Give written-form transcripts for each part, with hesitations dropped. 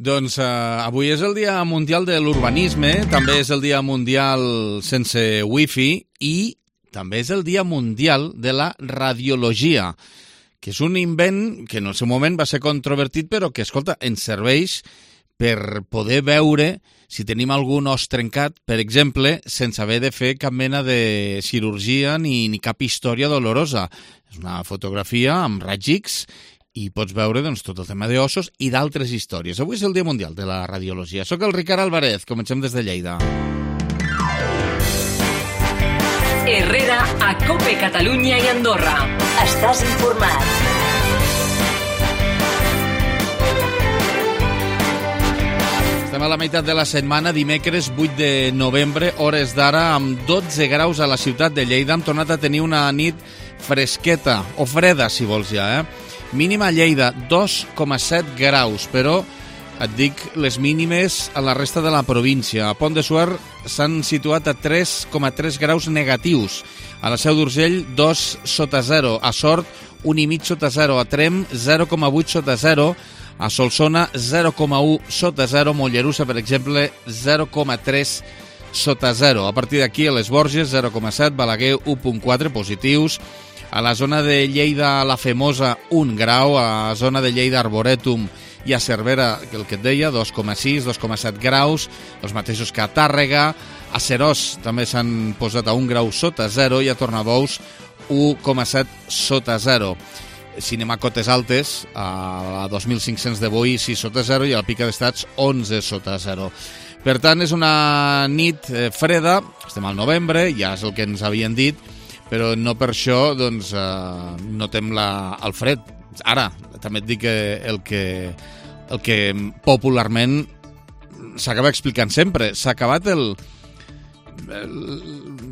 Doncs avui és el Dia Mundial de l'Urbanisme, també és el Dia Mundial sense wifi i també és el Dia Mundial de la Radiologia, que és un invent que en el seu moment va ser controvertit, però que, escolta, ens serveix per poder veure si tenim algun os trencat, per exemple, sense haver de fer cap mena de cirurgia ni cap història dolorosa. És una fotografia amb raig X i pots veure doncs, tot el tema d'ossos i d'altres històries. Avui és el Dia Mundial de la Radiologia. Soc el Ricard Alvarez, comencem des de Lleida. Herrera, a COPE Catalunya i Andorra. Estàs informat. Estem a la meitat de la setmana, dimecres 8 de novembre, hores d'ara, amb 12 graus a la ciutat de Lleida. Hem tornat a tenir una nit fresqueta, o freda, si vols ja, Mínima a Lleida, 2,7 graus, però et dic les mínimes a la resta de la província. A Pont de Suert s'han situat a 3,3 graus negatius. A la Seu d'Urgell, 2 sota 0. A Sort, 1,5 sota 0. A Trem, 0,8 sota 0. A Solsona, 0,1 sota 0. Mollerussa, per exemple, 0,3 sota 0. A partir d'aquí, a les Borges, 0,7. Balaguer, 1,4 positius. A la zona de Lleida, la Femosa, 1 grau. A la zona de Lleida, Arborètum i a Cervera, el que et deia, 2,6, 2,7 graus, els mateixos que a Tàrrega. A Serós també s'han posat a 1 grau sota 0 i a Tornabous 1,7 sota 0. Si anem a cotes altes, a 2.500 de Boí 6 sota 0 i a la Pica d'Estats 11 sota 0. Per tant, és una nit freda, estem al novembre, ja és el que ens havien dit, però no per això doncs, notem el fred. Ara, també et dic que el que popularment s'acaba explicant sempre, s'ha acabat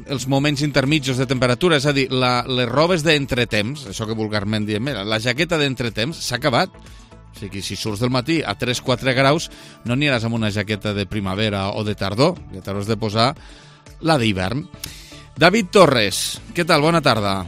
els moments intermitjos de temperatura, és a dir, les robes d'entretemps, això que vulgarment diem, la jaqueta d'entretemps s'ha acabat. O sigui, si surts del matí a 3-4 graus, no aniràs amb una jaqueta de primavera o de tardor, ja t'hauràs de posar la d'hivern. David Torres, què tal? Bona tarda.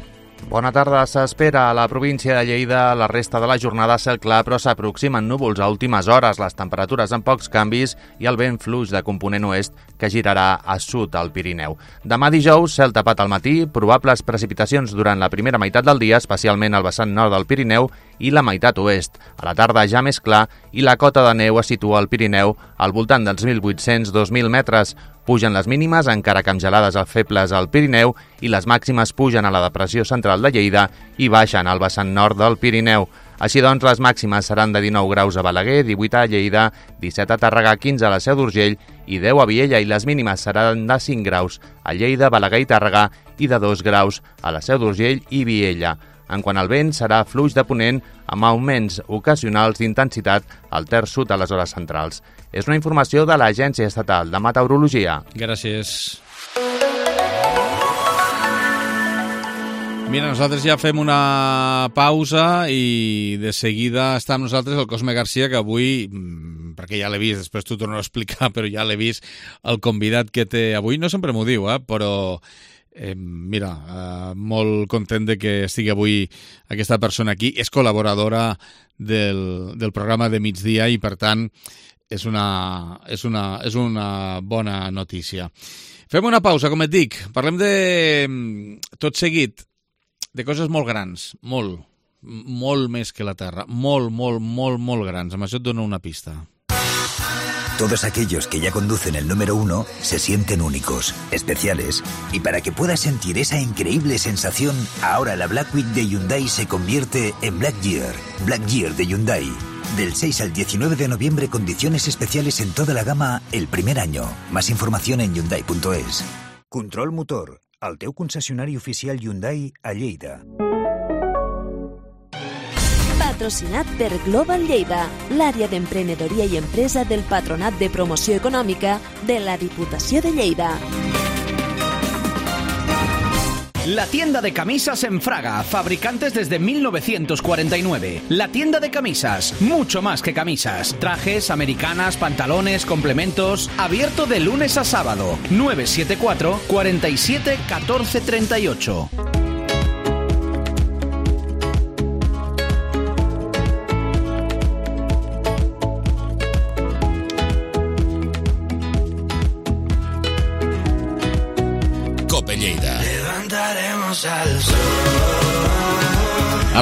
Bona tarda. S'espera a la província de Lleida la resta de la jornada cel clar, però s'aproximen núvols a últimes hores, les temperatures amb pocs canvis i el vent fluix de component oest que girarà a sud al Pirineu. Demà dijous, cel tapat al matí, probables precipitacions durant la primera meitat del dia, especialment al vessant nord del Pirineu i la meitat oest. A la tarda ja més clar i la cota de neu es situa al Pirineu al voltant dels 1.800-2.000 metres. Pugen les mínimes, encara que amb gelades febles al Pirineu, i les màximes pugen a la depressió central de Lleida i baixen al vessant nord del Pirineu. Així doncs, les màximes seran de 19 graus a Balaguer, 18 a Lleida, 17 a Tàrrega, 15 a la Seu d'Urgell i 10 a Viella, i les mínimes seran de 5 graus a Lleida, Balaguer i Tàrrega i de 2 graus a la Seu d'Urgell i Viella. En quant al vent, serà fluix de ponent amb augments ocasionals d'intensitat al terç sud a les hores centrals. És una informació de l'Agència Estatal de Meteorologia. Gràcies. Mira, nosaltres ja fem una pausa i de seguida està amb nosaltres el Cosme Garcia, que avui, perquè ja l'he vist, després t'ho torno a explicar, però ja l'he vist, el convidat que té avui, no sempre m'ho diu, però... molt content de que estigui avui aquesta persona aquí. És col·laboradora del programa de migdia i, per tant, és una bona notícia. Fem una pausa, com et dic. Parlem tot seguit de coses molt grans, molt més que la Terra, molt grans. Amb això et dono una pista. Todos aquellos que ya conducen el número 1 se sienten únicos, especiales, y para que puedas sentir esa increíble sensación, ahora la Black Week de Hyundai se convierte en Black Year de Hyundai. Del 6 al 19 de noviembre, condiciones especiales en toda la gama el primer año. Más información en Hyundai.es. Control Motor, el teu concessionari oficial Hyundai a Lleida. Patrocinat per Global Lleida, l'àrea d'emprenedoria i empresa del Patronat de Promoció Econòmica de la Diputació de Lleida. La tienda de camisas en Fraga, fabricantes desde 1949. La tienda de camisas, mucho más que camisas. Trajes, americanas, pantalones, complementos. Abierto de lunes a sábado. 974 47 14 38. A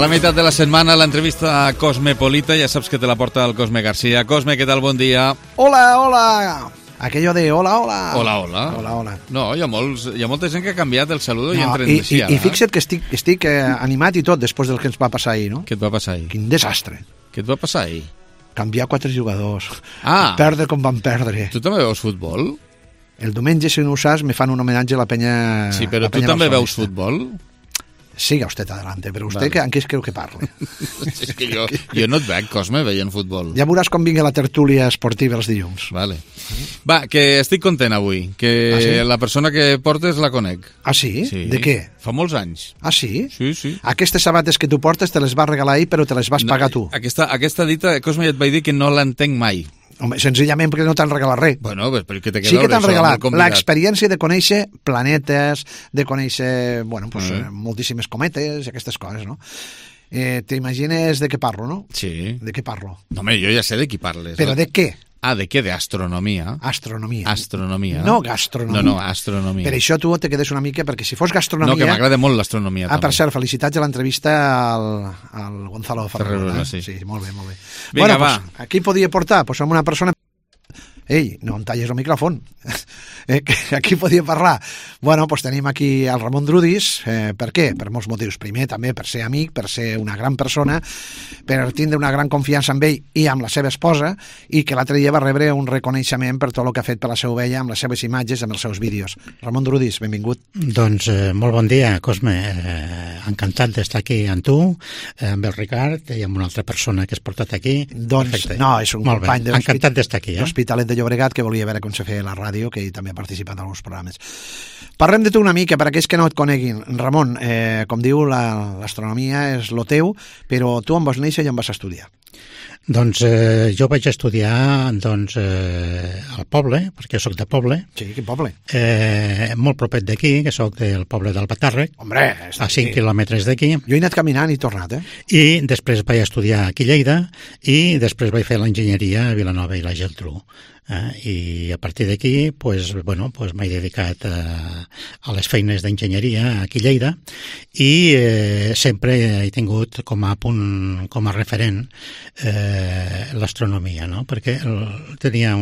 la meitat de la setmana, l'entrevista a Cosmopolita, ja saps que te la porta el Cosme García. Cosme, què tal? Bon dia. Hola, hola. Aquello de hola, hola. Hola, hola. Hola, hola. No, hi ha molta gent que ha canviat el saludo i entren així ara. I fixa't que estic animat i tot després del que ens va passar ahir, no? Què et va passar ahir? Quin desastre. Què et va passar ahir? Canviar 4 jugadors. Ah. Perdre com van perdre. Tu també veus futbol? El diumenge, si no ho saps, me fan un homenatge a la penya... Sí, però tu també veus futbol? Siga usted adelante, però usted vale. En què creu que parle? És que jo no et veig, Cosme, veient futbol. Ja veuràs com vingui la tertúlia esportiva els dilluns. Vale. Va, que estic content avui, que sí? La persona que portes la conec. Ah, sí? Sí. De què? Fa molts anys. Ah, sí? Sí, sí. Aquestes sabates que tu portes te les va regalar ahir, però te les vas pagar tu. Aquesta dita, Cosme, ja et vaig dir que no l'entenc mai. Home, senzillament perquè no t'han regalat res. Bueno, però que te sí que t'han regalat l'experiència de conèixer planetes, de conèixer, bueno, pues, moltíssimes cometes i aquestes coses, no? T'imagines de què parlo, no? Sí. De què parlo? No, home, jo ja sé de qui parles. Però de què? Ah, de què? D'astronomia? Astronomia. Astronomia. No gastronomia. No, astronomia. Per això tu te quedes una mica, perquè si fos gastronomia... No, que m'agrada molt l'astronomia. Ah, per cert, felicitats a l'entrevista al Gonzalo Ferrer. Sí. Sí, molt bé, molt bé. Vinga, va. Pues, aquí podia portar? Pues amb una persona... Ei, no em talles el micròfon. Aquí podia parlar. Bueno, doncs tenim aquí el Ramon Drudis. Per què? Per molts motius. Primer, també per ser amic, per ser una gran persona, per tindre una gran confiança amb ell i amb la seva esposa, i que l'altre dia va rebre un reconeixement per tot el que ha fet per la seva ovella, amb les seves imatges, amb els seus vídeos. Ramon Drudis, benvingut. Doncs molt bon dia, Cosme. Encantat d'estar aquí amb tu, amb el Ricard i amb una altra persona que has portat aquí. Doncs perfecte. No, és un molt company encantat d'estar aquí. L'Hospitalet de Llobregat, que volia veure com se feia la ràdio, que ell també ha participat en alguns programes. Parlem de tu una mica, per aquells que no et coneguin. Ramon, com diu, l'astronomia és lo teu, però tu on vas néixer i on vas estudiar? Doncs jo vaig estudiar al poble, perquè soc de poble. Sí, quin poble? Molt propet d'aquí, que soc del poble d'Albatàrrec. Hombre, a 5 quilòmetres d'aquí. Jo he anat caminant i tornat, I després vaig estudiar aquí a Lleida i després vaig fer l'enginyeria a Vilanova i la Geltrú. I a partir d'aquí m'he dedicat a les feines d'enginyeria aquí a Lleida i sempre he tingut com a punt, com a referent l'astronomia, no? Perquè tenia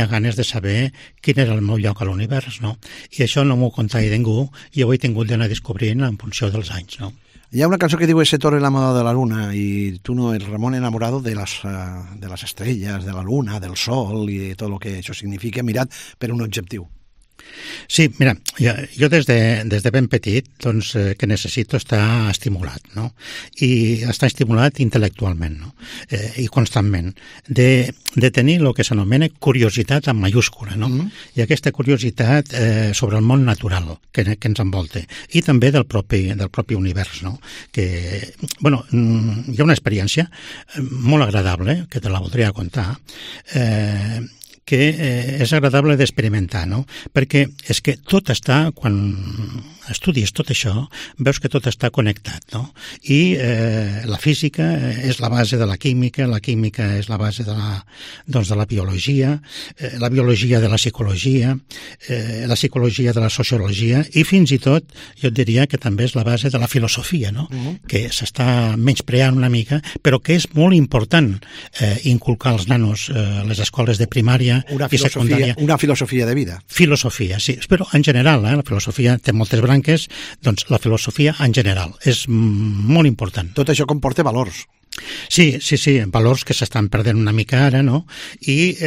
ganes de saber quin era el meu lloc a l'univers, no? I això no m'ho contava ningú i ho he tingut d'anar descobrint en funció dels anys, no? Hi ha una cançó que diu Ese toro enamorado de la luna, i tu no, el Ramon enamorado de las estrellas, de la luna, del sol i tot el que això significa, mirat per un objectiu. Sí, mira, jo des de ben petit que necessito estar estimulat, no? I estar estimulat intel·lectualment, no? I constantment. De tenir el que s'anomena curiositat en mayúscula, no? I aquesta curiositat sobre el món natural que ens envolta i també del propi univers, no? Que, bueno, hi ha una experiència molt agradable, que te la voldria contar, que és agradable d'experimentar, no? Perquè és que tot està, quan estudis tot això, veus que tot està connectat, no? I la física és la base de la química és la base de la biologia, la biologia de la psicologia de la sociologia i fins i tot, jo et diria que també és la base de la filosofia, no? Que s'està menyspreant una mica, però que és molt important inculcar als nanos les escoles de primària i secundària. Una filosofia de vida. Filosofia, sí. Però en general, la filosofia té moltes branques, doncs la filosofia en general és molt important. Tot això comporta valors. Sí, valors que s'estan perdent una mica ara, no? I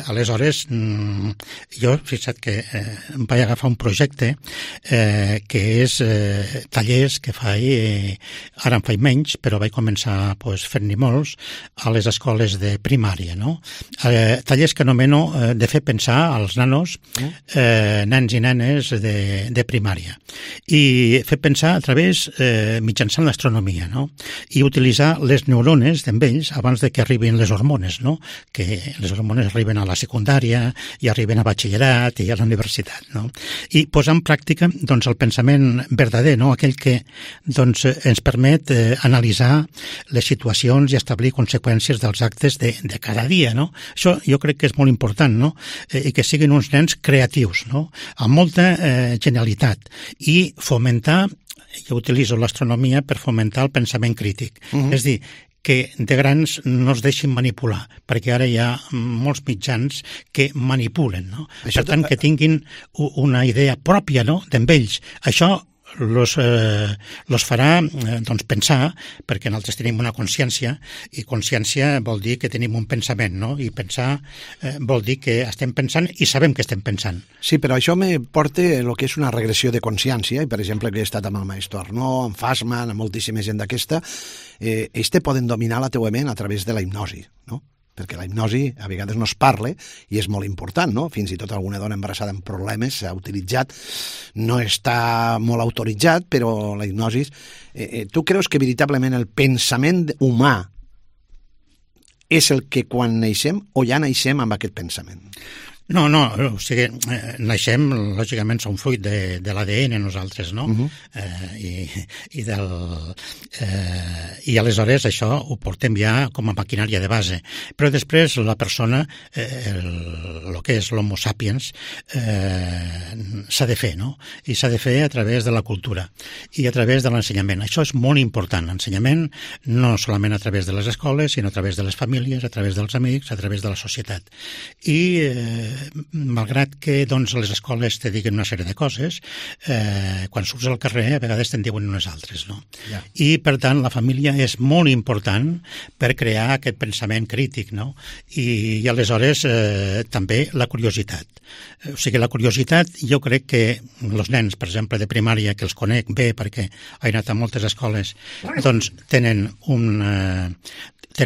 aleshores jo, fixa't que em vaig agafar un projecte que és tallers que faig, ara en faig menys, però vaig començar fent-n'hi molts a les escoles de primària, no? Tallers que anomeno de fer pensar als nanos, nens i nenes de primària. I fer pensar a través, mitjançant l'astronomia, no? I utilitzar les neurones d'en ells abans de que arribin les hormones, no? Que les hormones arriben a la secundària i arriben a batxillerat i a la universitat, no? I posar en pràctica doncs, el pensament verdader, no? Aquell que doncs, ens permet analitzar les situacions i establir conseqüències dels actes de cada dia, no? Això jo crec que és molt important, no? I que siguin uns nens creatius, no? Amb molta genialitat i fomentar, jo utilitzo l'astronomia per fomentar el pensament crític. És dir, que de grans no es deixin manipular, perquè ara hi ha molts mitjans que manipulen, no? Per tant, que tinguin una idea pròpia, no?, d'en ells. Això los farà doncs, pensar, perquè nosaltres tenim una consciència, i consciència vol dir que tenim un pensament, no? I pensar vol dir que estem pensant i sabem que estem pensant. Sí, però això me porta el que és una regressió de consciència, i per exemple que he estat amb el Maestro Arnó, amb Fassman, amb moltíssima gent d'aquesta, ells te poden dominar la teua ment a través de la hipnosi, no? Perquè la hipnosi a vegades no es parla i és molt important, no? Fins i tot alguna dona embarassada amb problemes s'ha utilitzat, no està molt autoritzat, però la hipnosi... Tu creus que veritablement el pensament humà és el que quan naixem o ja naixem amb aquest pensament? No, o sigui, naixem, lògicament, som fruit de l'ADN nosaltres, no? I aleshores això ho portem ja com a maquinària de base. Però després la persona, el que és l'homo sapiens, s'ha de fer, no? I s'ha de fer a través de la cultura i a través de l'ensenyament. Això és molt important, l'ensenyament, no solament a través de les escoles, sinó a través de les famílies, a través dels amics, a través de la societat. I malgrat que doncs, les escoles te diguen una sèrie de coses, quan surts al carrer a vegades te'n diuen unes altres, no? Yeah. I per tant la família és molt important per crear aquest pensament crític, no? I aleshores també la curiositat. O sigui, la curiositat, jo crec que els nens, per exemple, de primària, que els conec bé perquè he anat a moltes escoles, doncs tenen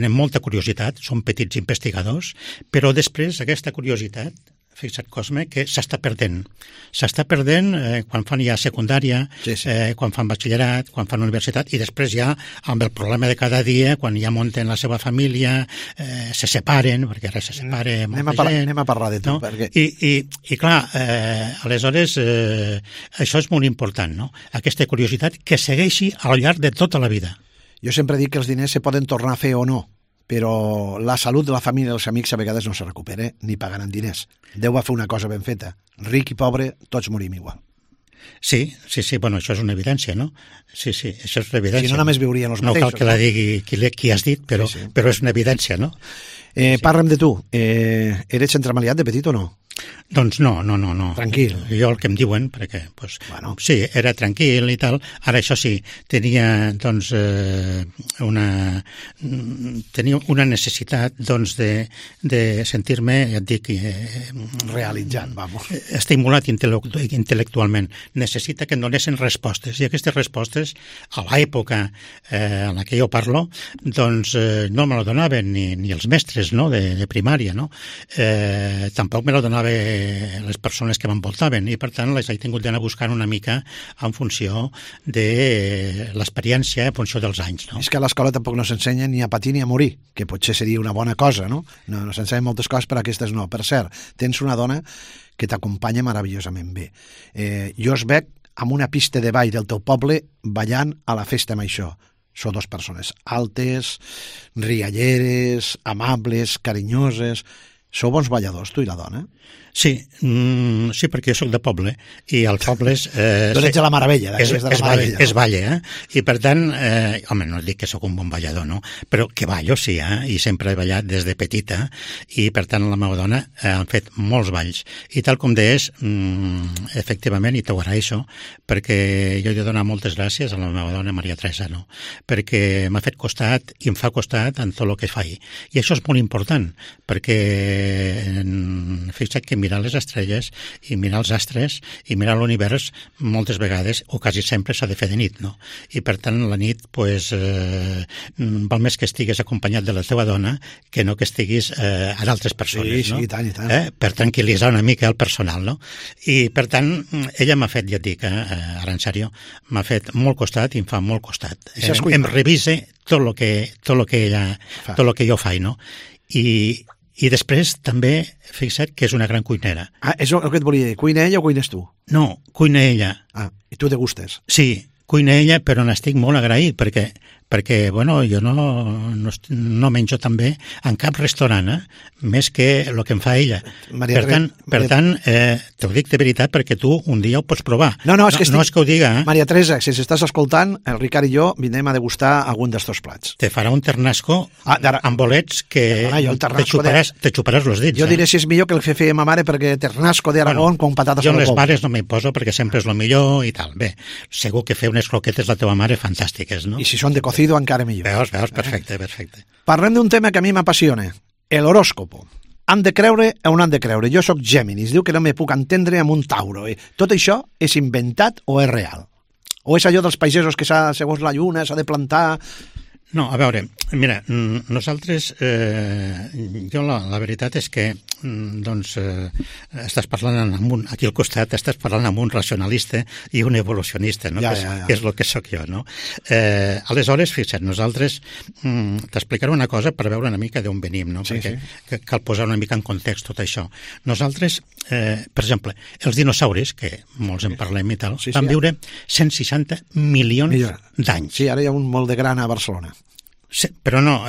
molta curiositat, són petits investigadors, però després aquesta curiositat, fixa't, Cosme, que s'està perdent. S'està perdent quan fan ja secundària, quan fan batxillerat, quan fan universitat, i després ja amb el problema de cada dia, quan ja munten la seva família, se separen, perquè ara se separa molta gent. Anem a parlar de tu. No? Perquè... I clar, aleshores, això és molt important, no? Aquesta curiositat que segueixi al llarg de tota la vida. Jo sempre dic que els diners se poden tornar a fer o no, però la salut de la família i els amics a vegades no se recupera ni pagant amb diners. Déu va fer una cosa ben feta. Ric i pobre, tots morim igual. Sí, bueno, això és una evidència, no? Sí, això és una evidència. Si no, només viurien els mateixos. No cal que la digui qui has dit, però és una evidència, no? Parla'm de tu. Eres centramaliat de petit o no? Doncs no. Tranquil. Jo el que em diuen, perquè, doncs, bueno, sí, era tranquil i tal. Ara, això sí, tenia, doncs, una necessitat, doncs, de sentir-me, ja et dic, realitzat, vamos. Estimulat intel·lectualment. Necessita que em donessin respostes, i aquestes respostes, a l'època en la que jo parlo, doncs, no me la donaven ni els mestres, no?, de primària, no? Tampoc me la donaven les persones que m'envoltaven, i per tant les he tingut d'anar buscant una mica en funció de l'experiència, en funció dels anys, no? És que a l'escola tampoc no s'ensenya ni a patir ni a morir, que potser seria una bona cosa, no? No s'ensenyen moltes coses, però aquestes no. Per cert, tens una dona que t'acompanya meravellosament bé. Jo es veig amb una pista de ball del teu poble ballant a la festa amb això. Són dues persones altes, rialleres, amables, carinyoses. Sou bons balladors, tu i la dona? Sí, perquè jo soc de poble, i als pobles... Tu ets de la Maravella. És balla, I per tant, home, no dic que sóc un bon ballador, no? Però que ballo, sí, i sempre he ballat des de petita, i per tant la meva dona han fet molts balls. I tal com deies, efectivament, i t'ho agraeixo, perquè jo he de donar moltes gràcies a la meva dona, Maria Teresa, no? Perquè m'ha fet costat i em fa costat en tot el que faig. I això és molt important, perquè fixa't que mirar les estrelles i mirar els astres i mirar l'univers moltes vegades, o quasi sempre, s'ha de fer de nit, no? I per tant la nit val més que estiguis acompanyat de la teva dona que no que estiguis a d'altres persones, no? Sí, i tant. Per tranquil·litzar una mica el personal, no? I per tant ella m'ha fet, ja et dic, ara en sèrio, m'ha fet molt costat i em fa molt costat. Em revise tot el que jo faig, no? I després també, fixa't que és una gran cuinera. És el que et volia dir, cuina ella o cuines tu? No, cuina ella. I tu degustes? Sí, cuina ella, però n'estic molt agraït perquè bueno, jo no menjo també en cap restaurant, més que el que em fa ella. Per tant, t'ho dic de veritat perquè tu un dia ho pots provar. No és que ho diga. Maria Teresa, si estàs escoltant, el Ricard i jo vindrem a degustar algun d'estos plats. Te farà un ternasco amb bolets que te xuparàs els dits. Jo diré si és millor que el que feia ma mare, perquè ternasco d'Aragón con patates al col. Jo les mares no m'hi poso perquè sempre és el millor i tal. Bé, segur que fer unes croquetes la teva mare fantàstiques, no? I si són de cocido encara millor. Veus, perfecte. Parlem d'un tema que a mi m'apassiona, l'horòscopo. Han de creure o no han de creure? Jo sóc Géminis, diu que no me puc entendre amb un Tauro. Tot això és inventat o és real? O és allò dels pagesos que segons la lluna s'ha de plantar? No, a veure, mira, nosaltres, jo la veritat és que, estàs parlant aquí al costat, estàs parlant amb un racionalista i un evolucionista, no? Que és el que sóc jo, no? Aleshores, fixa't, nosaltres t'explicaré una cosa per veure una mica d'on venim, no? Perquè cal posar una mica en context tot això. Nosaltres, per exemple, els dinosauris, que molts en parlem i tal, van viure 160 milions d'anys. Sí, ara hi ha un molt de gran a Barcelona. Però no,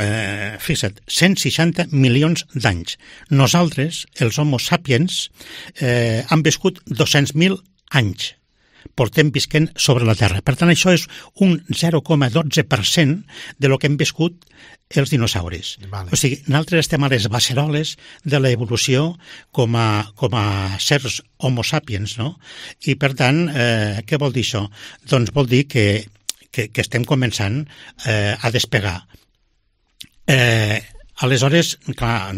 fixa't, 160 milions d'anys. Nosaltres, els homo sapiens, han viscut 200.000 anys. Portem visquent sobre la Terra. Per tant, això és un 0,12% de lo que hem viscut els dinosauris. O sigui, nosaltres estem a les beceroles de l'evolució com a sers homo sapiens, no? I, per tant, què vol dir això? Doncs vol dir que estem començant a despegar. Aleshores, clar,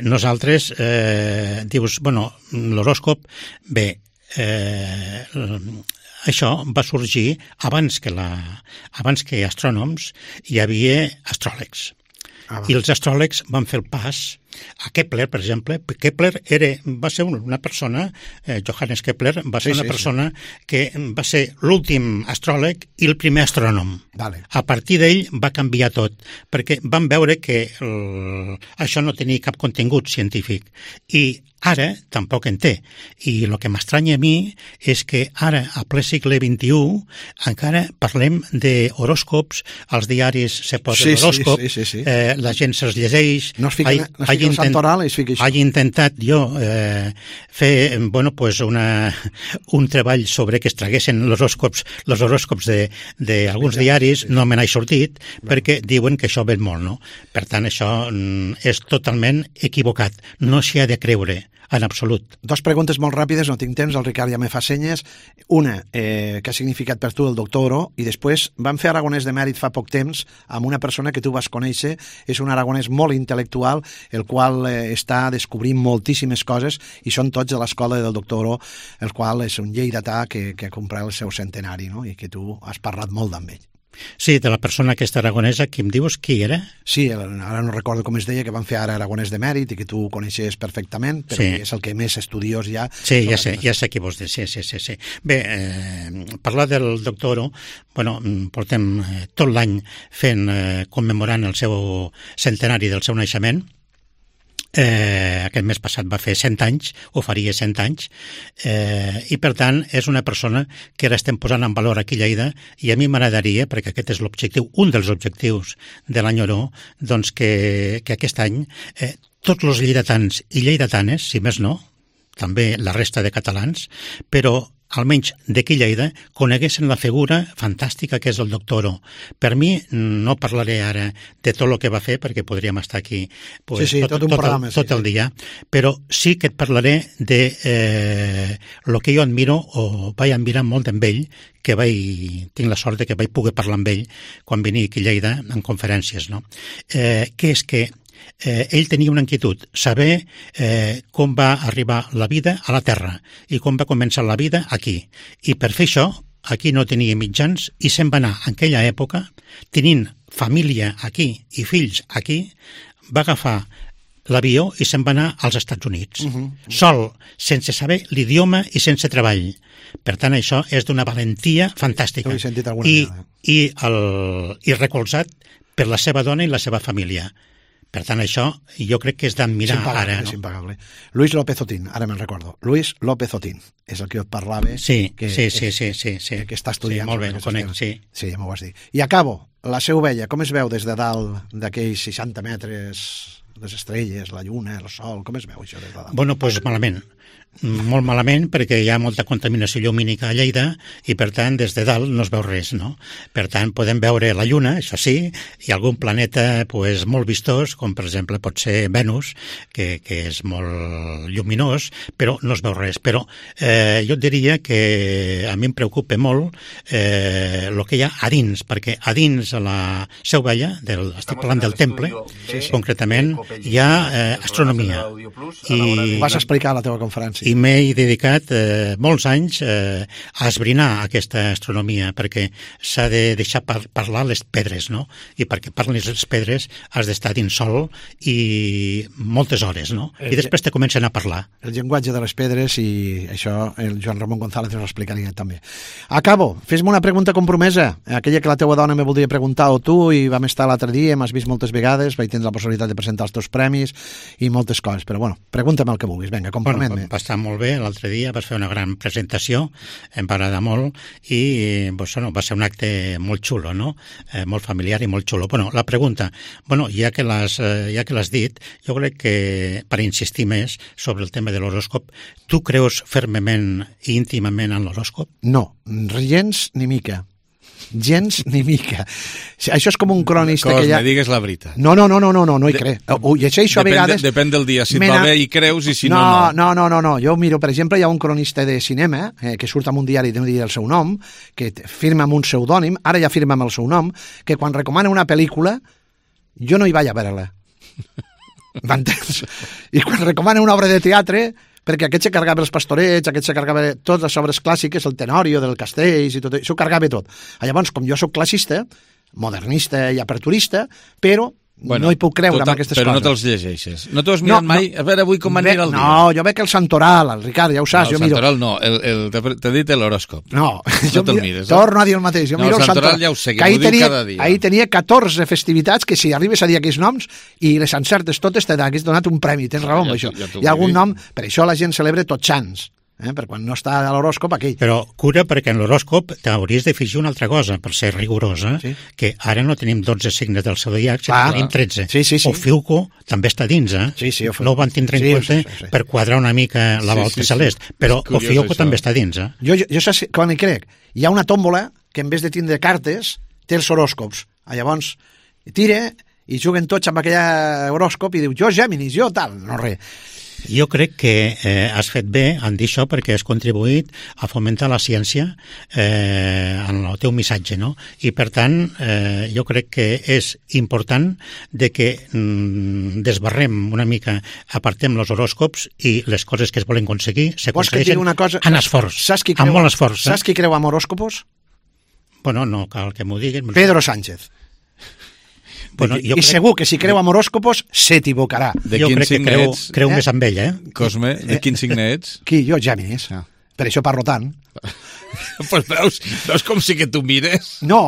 nosaltres dius, bueno, l'horòscop, bé, això va sorgir abans que astrònoms hi havia astròlegs. I els astròlegs van fer el pas a Kepler, per exemple. Kepler va ser una persona, Johannes Kepler, va ser una persona que va ser l'últim astròleg i el primer astrònom. A partir d'ell va canviar tot, perquè van veure que això no tenia cap contingut científic. I ara tampoc en té. I el que m'estranya a mi és que ara, a ple segle XXI, encara parlem d'horòscops, als diaris se posa l'horòscop, la gent se'ls llegeix. He intentat jo fer un treball sobre que es traguessin els horòscops d'alguns diaris, no me n'he sortit, perquè diuen que això ven molt, no? Per tant, això és totalment equivocat. No s'hi ha de creure. En absolut. Dos preguntes molt ràpides, no tinc temps, el Ricard ja me fa senyes. Una, què ha significat per tu el doctor Oro? I després, vam fer Aragonès de Mèrit fa poc temps amb una persona que tu vas conèixer, és un aragonès molt intel·lectual, el qual està descobrint moltíssimes coses i són tots de l'escola del doctor Oro, el qual és un lleidatà que ha comprat el seu centenari, no? I que tu has parlat molt amb ell. Sí, de la persona aquesta aragonesa, qui em dius qui era? Sí, ara no recordo com es deia, que van fer ara Aragonès de Mèrit i que tu coneixes perfectament, però és el que més estudiós hi ha. Sí, ja sé qui vols dir, sí. Bé, parlar del doctor Oro, bueno, portem tot l'any fent, commemorant el seu centenari del seu naixement. Aquest mes passat va fer 100 anys, o faria 100 anys, i per tant és una persona que ara estem posant en valor aquí a Lleida, i a mi m'agradaria, perquè aquest és l'objectiu, un dels objectius de l'any Oro, doncs que aquest any tots els lleidatans i lleidatanes, si més no, també la resta de catalans, però almenys d'aquí Lleida, coneguessin la figura fantàstica que és el doctor Oro. Per mi, no parlaré ara de tot el que va fer, perquè podríem estar aquí tot el dia, però sí que et parlaré de el que jo admiro, o vaig admirar molt amb ell, que tinc la sort que vaig poder parlar amb ell quan venia aquí a Lleida en conferències, no? Que és que ell tenia una inquietud, saber com va arribar la vida a la Terra i com va començar la vida aquí. I per fer això, aquí no tenia mitjans i se'n va anar en aquella època, tenint família aquí i fills aquí, va agafar l'avió i se'n va anar als Estats Units. Sol, sense saber l'idioma i sense treball. Per tant, això és d'una valentia fantàstica. Ho he sentit alguna vegada. I recolzat per la seva dona i la seva família. Per tant, això jo crec que és d'admirar ara. És impagable. Luis López Otín, ara me'n recordo. Luis López Otín, és el que jo et parlava. Sí. Que està estudiant. Sí, molt bé, ho conec, sí. Sí, ja m'ho vas dir. I acabo, la Seu Vella, com es veu des de dalt d'aquells 60 metres, les estrelles, la lluna, el sol, com es veu això des de dalt? Bueno, doncs malament. Molt malament perquè hi ha molta contaminació llumínica a Lleida i per tant des de dalt no es veu res, no? Per tant podem veure la Lluna, això sí, i algun planeta pues, molt vistós, com per exemple pot ser Venus, que és molt lluminós, però no es veu res. Però jo et diria que a mi em preocupa molt el que hi ha a dins, perquè a dins a la Seu Vella, estic parlant del temple, concretament hi ha astronomia. I vas explicar a la teva conferència. I m'he dedicat molts anys a esbrinar aquesta astronomia, perquè s'ha de deixar parlar les pedres, no? I perquè parlis les pedres has d'estar dins sol i moltes hores, no? I després te comencen a parlar. El llenguatge de les pedres, i això el Joan Ramon González ens ho explicaria també. Acabo, fes-me una pregunta compromesa, aquella que la teua dona me voldria preguntar, o tu, i vam estar l'altre dia, m'has vist moltes vegades, vaig tenir la possibilitat de presentar els teus premis i moltes coses, però bueno, pregunta'm el que vulguis, vinga, compromet-me. Va estar molt bé, l'altre dia vas fer una gran presentació, em va agradar molt i pues, no, va ser un acte molt xulo, no? Molt familiar i molt xulo. Bueno, la pregunta, bueno, ja que l'has dit, jo crec que per insistir més sobre el tema de l'horòscop, tu creus fermament i íntimament en l'horòscop? No, gens ni mica. Gens ni mica. Això és com un cronista que hi ha... Cosme, digues la veritat. No hi crec. Ho llegeixo a vegades... Depèn del dia, si et va bé i creus i si no. No. Jo miro, per exemple, hi ha un cronista de cinema que surt amb un diari de dir el seu nom, que firma amb un pseudònim, ara ja firma amb el seu nom, que quan recomana una pel·lícula jo no hi vaig a veure-la. M'entens? I quan recomana una obra de teatre... perquè aquest se cargava els pastorets, aquest se cargava totes les obres clàssiques, el Tenorio del Castells i tot això, ho cargava tot. Llavors, com jo sóc classista, modernista i aperturista, però no hi puc creure amb aquestes però coses. Però no te'ls llegeixes. No t'ho has mirat mai? A veure avui com va anirà el dia. No, jo veig el Santoral, el Ricard, ja ho saps. No, el Santoral no, t'he dit l'horòscop. No, no te'l mires. Torno a dir el mateix. No, el Santoral ja ho sé, que m'ho diu cada dia. Ahir tenia 14 festivitats que si arribes a dir aquells noms i les encertes totes t'hagués donat un premi, tens raó amb això. Hi ha algun nom, per això la gent celebra Tots Sants. Per quan no està a l'horòscop aquell. Però cura, perquè en l'horòscop t'hauries de fixar una altra cosa, per ser rigorosa, que ara no tenim 12 signes del zodiac, sinó que tenim 13. Sí. Ofiuco també està dins, no ho van tindre en compte per quadrar una mica la volta celest, però Ofiuco també està dins. Jo saps quan hi crec? Hi ha una tòmbola que en vez de tindre cartes té els horòscops. Llavors tira i juguen tots amb aquell horòscop i diu jo Géminis, jo tal, no res. Jo crec que has fet bé en dir això perquè has contribuït a fomentar la ciència en el teu missatge, no? I per tant, jo crec que és important de que desbarrem una mica, apartem els horòscops i les coses que es volen aconseguir s'aconsegueixen en esforç, amb molt esforç. Saps qui creu en horòscopos? Bueno, no cal que m'ho diguin. Pedro Sánchez. Bueno, I segur que si creu en horòscopos s'equivocarà. Jo crec que creu més amb ell, Cosme, de quin signe ets? Qui? Jo, Géminis. Per això parlo tant. Pues veus com sí que tu mires? No,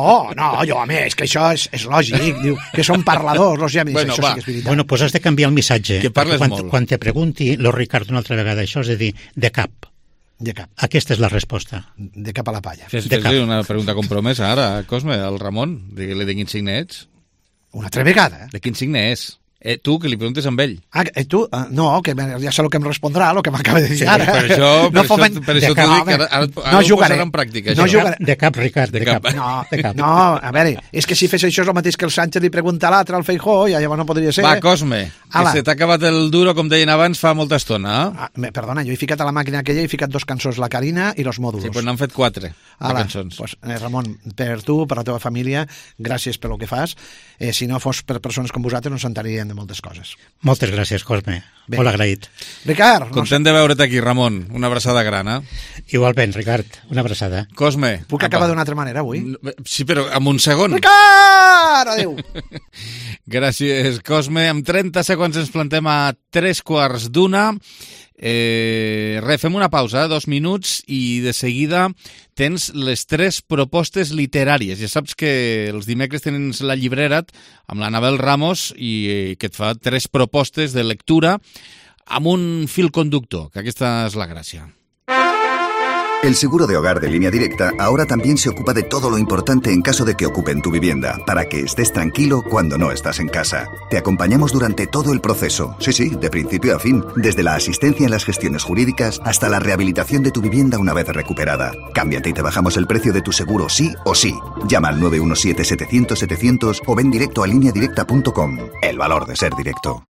jo, home, és que això és lògic. Diu que són parladors, els Géminis, això sí que és veritat. Bueno, doncs has de canviar el missatge. Que parles molt. Quan te pregunti lo Ricard una altra vegada això, és de dir, de cap. De cap. Aquesta és la resposta. De cap a la palla. Fes-li una pregunta compromesa ara, Cosme, al Ramon. Digue-li de quin signe ets. Una altra vegada. De quin signe és? Tu, que li preguntes amb ell. Tu? No, que ja sé el que em respondrà, el que m'acaba de dir ara. Per això t'ho dic, ara ho posarà en pràctica. De cap, Ricard, de cap. No, a veure, és que si fes això és el mateix que el Sánchez li pregunta a l'altre, al Feijóo, i llavors no podria ser. Va, Cosme, que se t'ha acabat el duro, com deien abans, fa molta estona. Perdona, jo he ficat a la màquina aquella, he ficat 2 cançons, La Carina i Los Mòdulos. Sí, doncs n'han fet 4 cançons. Pues, Ramon, per tu, per la teva família, gràcies pel que fas. Si no fos per persones com vosaltres no s'entrarien de moltes coses. Moltes gràcies, Cosme. Bé. Molt agraït. Ricard! Content de veure't aquí, Ramon. Una abraçada gran, eh? Igualment, Ricard, una abraçada. Cosme. Puc acabar d'una altra manera avui? Sí, però amb un segon. Ricard! Adéu! Gràcies, Cosme. En 30 segons ens plantem a 3:15. Fem una pausa, 2 minuts, i de seguida tens les 3 propostes literàries. Ja saps que els dimecres tens la llibrera amb l'Anabel Ramos i que et fa 3 propostes de lectura amb un fil conductor, que aquesta és la gràcia. El seguro de hogar de Línea Directa ahora también se ocupa de todo lo importante en caso de que ocupen tu vivienda, para que estés tranquilo cuando no estás en casa. Te acompañamos durante todo el proceso, sí, de principio a fin, desde la asistencia en las gestiones jurídicas hasta la rehabilitación de tu vivienda una vez recuperada. Cámbiate y te bajamos el precio de tu seguro sí o sí. Llama al 917-700-700 o ven directo a lineadirecta.com. El valor de ser directo.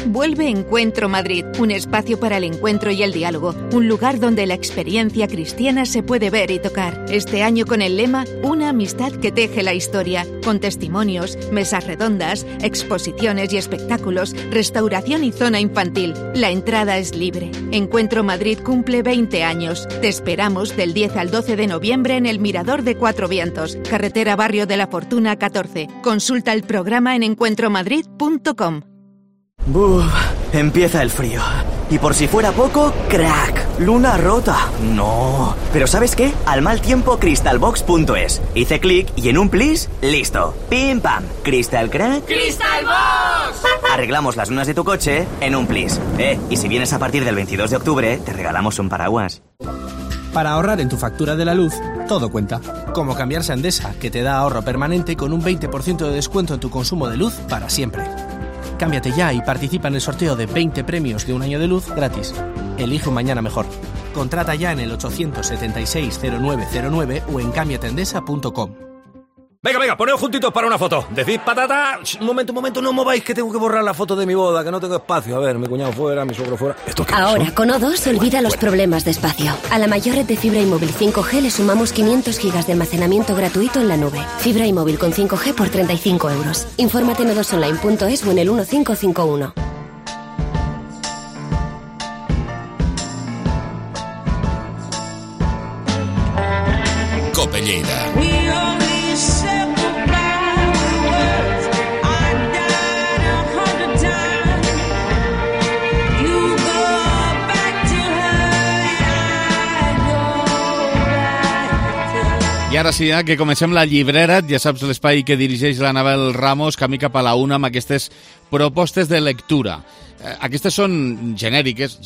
Vuelve Encuentro Madrid, un espacio para el encuentro y el diálogo, un lugar donde la experiencia cristiana se puede ver y tocar. Este año con el lema Una amistad que teje la historia, con testimonios, mesas redondas, exposiciones y espectáculos, restauración y zona infantil. La entrada es libre. Encuentro Madrid cumple 20 años. Te esperamos del 10 al 12 de noviembre en el Mirador de Cuatro Vientos, carretera Barrio de la Fortuna 14. Consulta el programa en encuentromadrid.com. Buf, empieza el frío. Y por si fuera poco, crack, luna rota. No. Pero ¿sabes qué? Al mal tiempo, crystalbox.es. Hice clic y en un plis, listo. Pim pam. Crystal crack. ¡Crystalbox! Arreglamos las lunas de tu coche en un plis. Y si vienes a partir del 22 de octubre, te regalamos un paraguas. Para ahorrar en tu factura de la luz, todo cuenta. Como cambiarse a Endesa, que te da ahorro permanente con un 20% de descuento en tu consumo de luz para siempre. Cámbiate ya y participa en el sorteo de 20 premios de un año de luz gratis. Elige un mañana mejor. Contrata ya en el 876-0909 o en cambiateendesa.com. Venga, poneos juntitos para una foto. Decid patata. Un momento, no mováis que tengo que borrar la foto de mi boda, que no tengo espacio. A ver, mi cuñado fuera, mi suegro fuera. Ahora, con O2, olvida los problemas de espacio. A la mayor red de fibra y móvil 5G le sumamos 500 gigas de almacenamiento gratuito en la nube. Fibra y móvil con 5G por 35 euros. Infórmate en o2online.es o en el 1551. Cope Lleida. I ara sí, que comencem la llibrera, ja saps l'espai que dirigeix l'Anabel Ramos, camí cap a la una amb aquestes propostes de lectura. Aquestes són genèriques,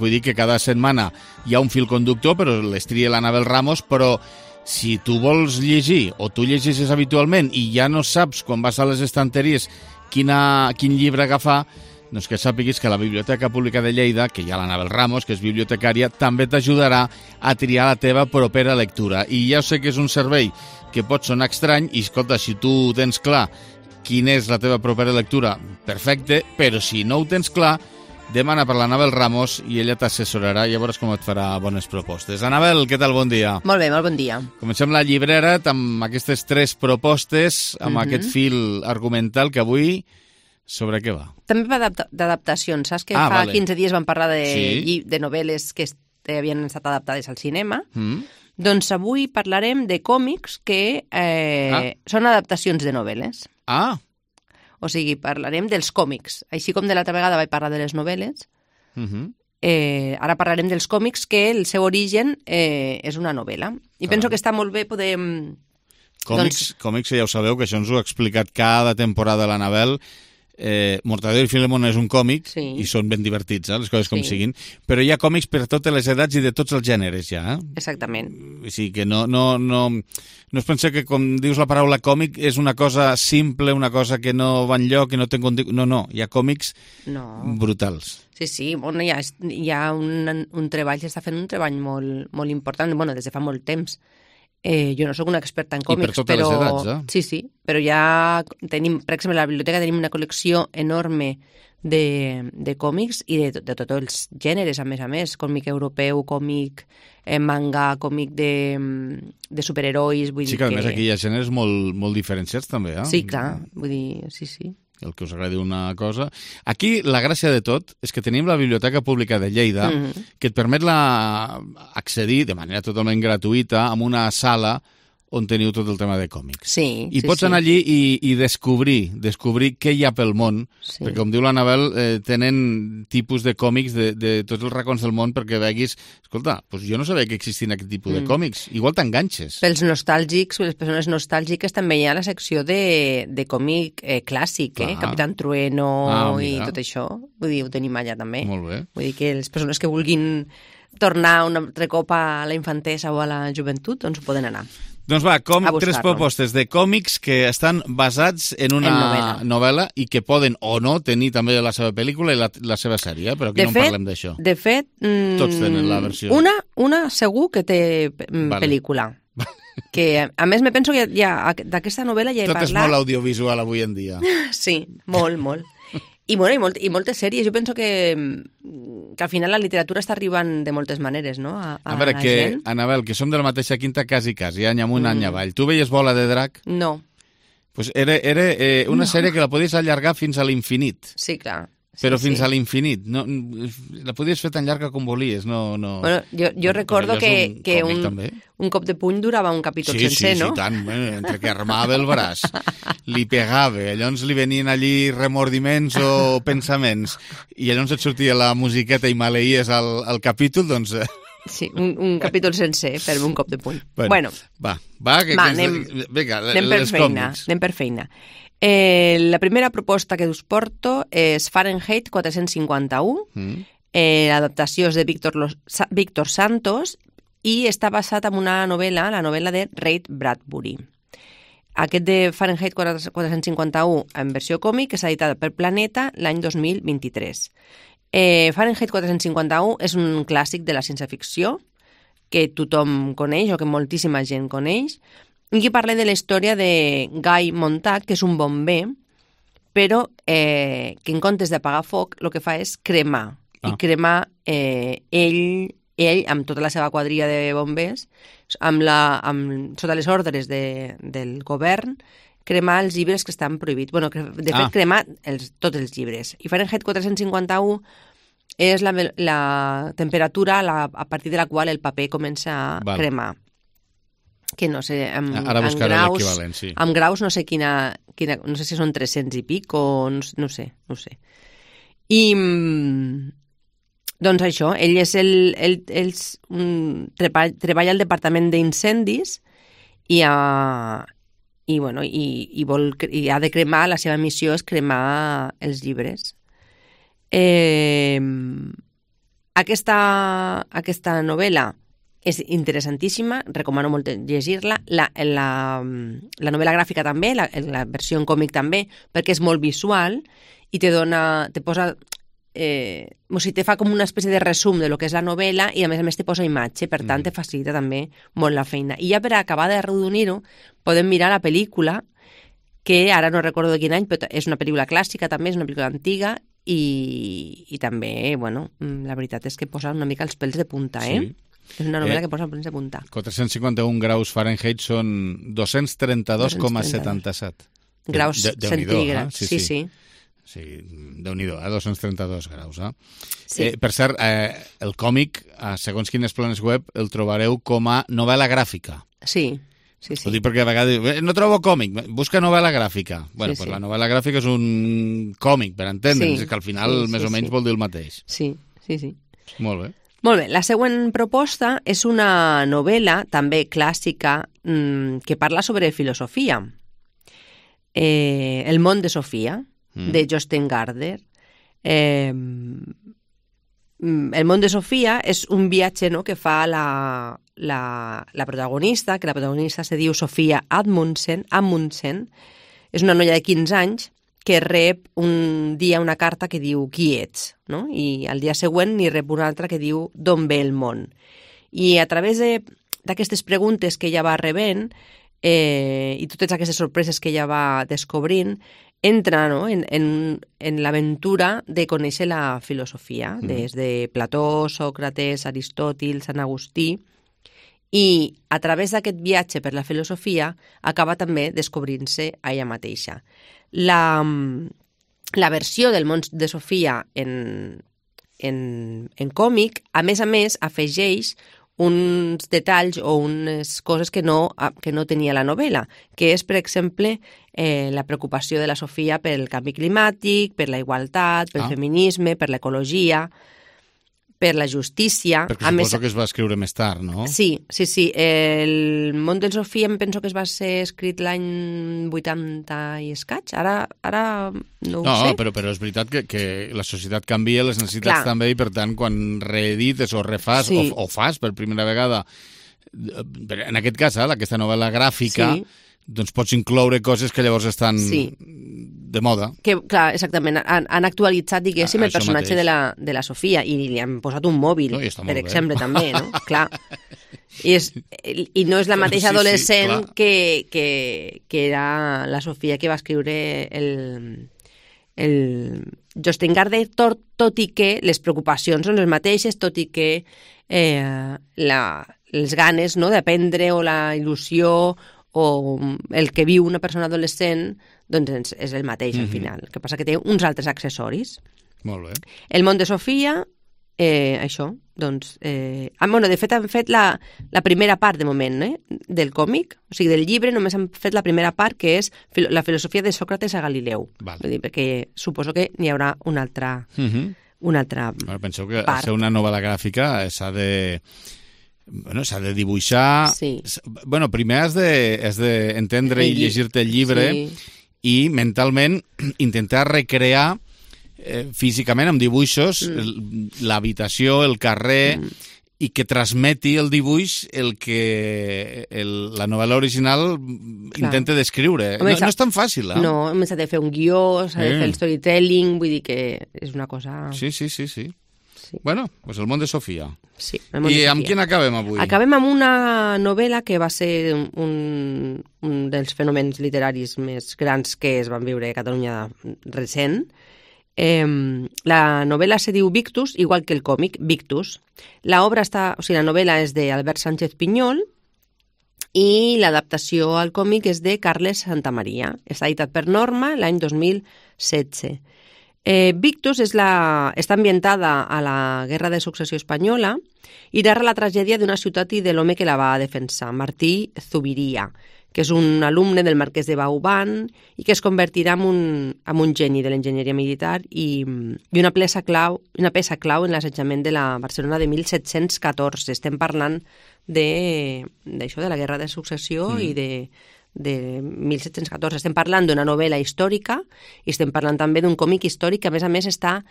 vull dir que cada setmana hi ha un fil conductor, però les tria l'Anabel Ramos, però si tu vols llegir o tu llegeixes habitualment i ja no saps quan vas a les estanteries quin llibre agafar, doncs que sàpiguis que la Biblioteca Pública de Lleida, que hi ha l'Anabel Ramos, que és bibliotecària, també t'ajudarà a triar la teva propera lectura. I ja sé que és un servei que pot sonar estrany, i escolta, si tu tens clar quina és la teva propera lectura, perfecte, però si no ho tens clar, demana per l'Anabel Ramos i ella t'assessorarà i llavors com et farà bones propostes. Anabel, què tal? Bon dia. Molt bé, molt bon dia. Comencem la llibrera amb aquestes 3 propostes, amb aquest fil argumental que avui... Sobre què va? També va d'adaptacions. Saps que fa 15 dies vam parlar de novel·les que havien estat adaptades al cinema? Doncs avui parlarem de còmics que són adaptacions de novel·les. O sigui, parlarem dels còmics. Així com de l'altra vegada vaig parlar de les novel·les, ara parlarem dels còmics que el seu origen és una novel·la. I penso que està molt bé poder... Còmics, ja ho sabeu, que això ens ho ha explicat cada temporada l'Anabel. Mortadelo i Filemón és un còmic i són ben divertits, les coses com siguin, però hi ha còmics per totes les edats i de tots els gèneres ja. Exactament. O sigui que no es pensa que com dius la paraula còmic és una cosa simple, una cosa que no va enlloc, que no té contingut. No, hi ha còmics brutals. Sí, bueno, hi ha un treball, s'està fent un treball molt important, bueno, des de fa molt temps. Jo no sóc una experta en còmics, I per totes les edats, Sí, però ja tenim, per exemple, a la biblioteca tenim una col·lecció enorme de còmics i de tots els gèneres, a més, còmic europeu, còmic manga, còmic de superherois, vull dir que... Sí, que a més aquí hi ha gèneres molt diferenciats també, Sí, clar, vull dir, sí. el que us agradi una cosa. Aquí la gràcia de tot és que tenim la Biblioteca Pública de Lleida, que et permet accedir de manera totalment gratuïta a una sala on teniu tot el tema de còmics. Sí, I pots anar allí i descobrir què hi ha pel món, perquè com diu l'Anabel, tenen tipus de còmics de tots els racons del món perquè veguis, escolta, doncs jo no sabia que existien aquest tipus de còmics, igual t'enganxes. Pels nostàlgics, les persones nostàlgiques, també hi ha la secció de còmic clàssic, Capitán Trueno i tot això, vull dir, ho tenim allà també. Molt bé. Vull dir que les persones que vulguin tornar un altre cop a la infantesa o a la joventut, doncs ho poden anar. Doncs va, tres propostes de còmics que estan basats en una novel·la i que poden o no tenir també la seva pel·lícula i la seva sèrie, però aquí no parlem d'això. De fet, tots tenen la versió. Una segur que té pel·lícula. Que, a més, me penso que d'aquesta novel·la ja he parlat... Tot és molt audiovisual avui en dia. Sí, molt, molt. I moltes sèries. Jo penso que al final la literatura està arribant de moltes maneres, no? A veure, la gent. Anabel, que som de la mateixa quinta quasi, any amunt, any avall. Tu veies Bola de Drac? No. Pues era una sèrie que la podies allargar fins a l'infinit. Sí, clar. Però fins a l'infinit. No, la podies fer tan llarga com volies. No. Bueno, jo recordo que un cop de puny durava un capítol sencer, no? Sí, tant. Entre que armava el braç, li pegava, llavors li venien allí remordiments o pensaments, i llavors et sortia la musiqueta i maleïes al capítol, doncs... Sí, un capítol sencer per un cop de puny. Bueno. Va, vinga, anem per feina. La primera proposta que us porto és Fahrenheit 451. L'adaptació és de Víctor Santos i està basat en una novel·la, la novel·la de Ray Bradbury. Aquest de Fahrenheit 451 en versió còmic és editada per Planeta l'any 2023. Fahrenheit 451 és un clàssic de la ciència-ficció que tothom coneix o que moltíssima gent coneix. Aquí parla de la història de Guy Montag, que és un bomber, però que en comptes d'apagar foc el que fa és cremar. I cremar ell, amb tota la seva quadrilla de bombers, sota les ordres del govern, cremar els llibres que estan prohibits. Bueno, de fet, cremar tots els llibres. I Fahrenheit 451 és la temperatura a partir de la qual el paper comença a cremar. Que no sé, ara buscaré l'equivalent, sí. Amb graus no sé quina, no sé si són 300 i pic o no sé. I doncs això, ell és treballa al departament d'incendis i ha de cremar, la seva missió és cremar els llibres. Aquesta novel·la és interessantíssima, recomano molt llegir-la. La novel·la gràfica també, la versió en còmic també, perquè és molt visual i te posa... te fa com una espècie de resum de lo que és la novel·la i a més te posa imatge, per tant te facilita també molt la feina. I ja per acabar de redonir-ho podem mirar la pel·lícula, que ara no recordo de quin any, però és una pel·lícula clàssica també, és una pel·lícula antiga i també, bueno, la veritat és que posa una mica els pèls de punta, Sí. És una novel·la que posa els pèls de punta. 451 graus Fahrenheit són 232,77 graus centígrads. Sí. Sí, Déu-n'hi-do, 232 graus. Sí. Per cert, el còmic, segons quines planes web, el trobareu com a novel·la gràfica. Sí. Ho dic perquè a vegades no trobo còmic, busca novel·la gràfica. Bueno, pues la novel·la gràfica és un còmic, per entendre'ns, que al final més o menys vol dir el mateix. Sí. Molt bé. Molt bé, la següent proposta és una novel·la, també clàssica, que parla sobre filosofia. El món de Sofia, de Jostein Gaarder. El món de Sofia és un viatge, no?, que fa la protagonista, que la protagonista se diu Sofia Amundsen, és una noia de 15 anys que rep un dia una carta que diu qui ets, no? I al dia següent n'hi rep una altra que diu d'on ve el món. I a través d'aquestes preguntes que ella va rebent i totes aquestes sorpreses que ella va descobrint, entra, no?, en l'aventura de conèixer la filosofia, des de Plató, Sòcrates, Aristòtil, Sant Agustí, i a través d'aquest viatge per la filosofia acaba també descobrint-se a ella mateixa. la versió del món de Sofia en còmic, a més, afegeix uns detalls o unes coses que no tenia la novel·la, que és, per exemple, la preocupació de la Sofia pel canvi climàtic, per la igualtat, pel feminisme, per l'ecologia, per la justícia. Perquè suposo que es va escriure més tard, no? Sí. El món de Sofia em penso que es va ser escrit l'any 80 i escaig. Ara no ho sé. No, però és veritat que la societat canvia, les necessitats també, i per tant, quan reedites o refas o fas per primera vegada, en aquest cas, aquesta novel·la gràfica, doncs pots incloure coses que llavors estan de moda. Que, clar, exactament, han actualitzat, diguéssim, el personatge de la Sofia i li han posat un mòbil, per exemple, també, no? Clar. I no és la mateixa adolescent que era la Sofia que va escriure el Jostein Gaarder, tot i que les preocupacions són les mateixes, tot i que les ganes d'aprendre o la il·lusió o el que viu una persona adolescent, doncs és el mateix al final. El que passa que té uns altres accessoris. Molt bé. El món de Sofia, això, doncs... de fet, han fet la primera part, de moment, del còmic, o sigui, del llibre, només han fet la primera part, que és la filosofia de Sòcrates a Galileu. Vull dir, perquè suposo que n'hi haurà una altra part. Penseu que ser una novel·la gràfica s'ha de dibuixar... Bueno, primer has d'entendre i llegir-te el llibre i mentalment intentar recrear físicament amb dibuixos l'habitació, el carrer, i que transmeti el dibuix el que la novel·la original intenta descriure. No és tan fàcil, No, s'ha de fer un guió, s'ha de fer el storytelling, vull dir que és una cosa... Sí. Bueno, doncs el món de Sofia. Sí, I amb quin acabem avui? Acabem amb una novel·la que va ser un dels fenòmens literaris més grans que es van viure a Catalunya recent. La novel·la se diu Victus, igual que el còmic, Victus. La novel·la és d'Albert Sánchez Pinyol i l'adaptació al còmic és de Carles Santamaria. Està editat per Norma l'any 2016. Victus està ambientada a la Guerra de Successió Espanyola i narra la tragèdia d'una ciutat i de l'home que la va defensar, Martí Zubiria, que és un alumne del marquès de Vauban i que es convertirà en un geni de l'enginyeria militar i una peça clau en l'assetjament de la Barcelona de 1714. Estem parlant d'això, de la Guerra de Successió i de 1714. Estem parlant d'una novel·la històrica i estem parlant també d'un còmic històric que, a més, està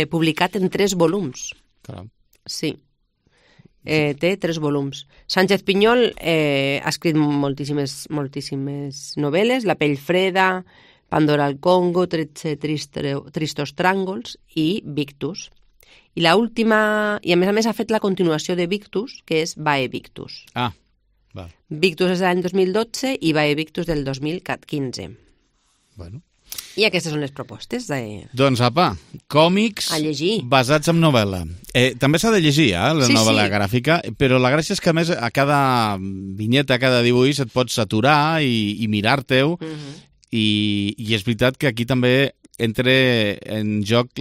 publicat en 3 volums. Caram. Sí. Té 3 volums. Sánchez Pinyol ha escrit moltíssimes novel·les, La pell freda, Pandora al Congo, 13 tristos tràngols i Victus. I l'última, i a més ha fet la continuació de Victus, que és Vae Victus. Victus és de l'any 2012 i Vae Victus del 2015. Bueno. I aquestes són les propostes. Doncs, apa, còmics basats en novel·la. També s'ha de llegir, la novel·la gràfica, però la gràcia és que, a més, a cada vinyeta, a cada dibuix et pots aturar i mirar-te-ho, i és veritat que aquí també entra en joc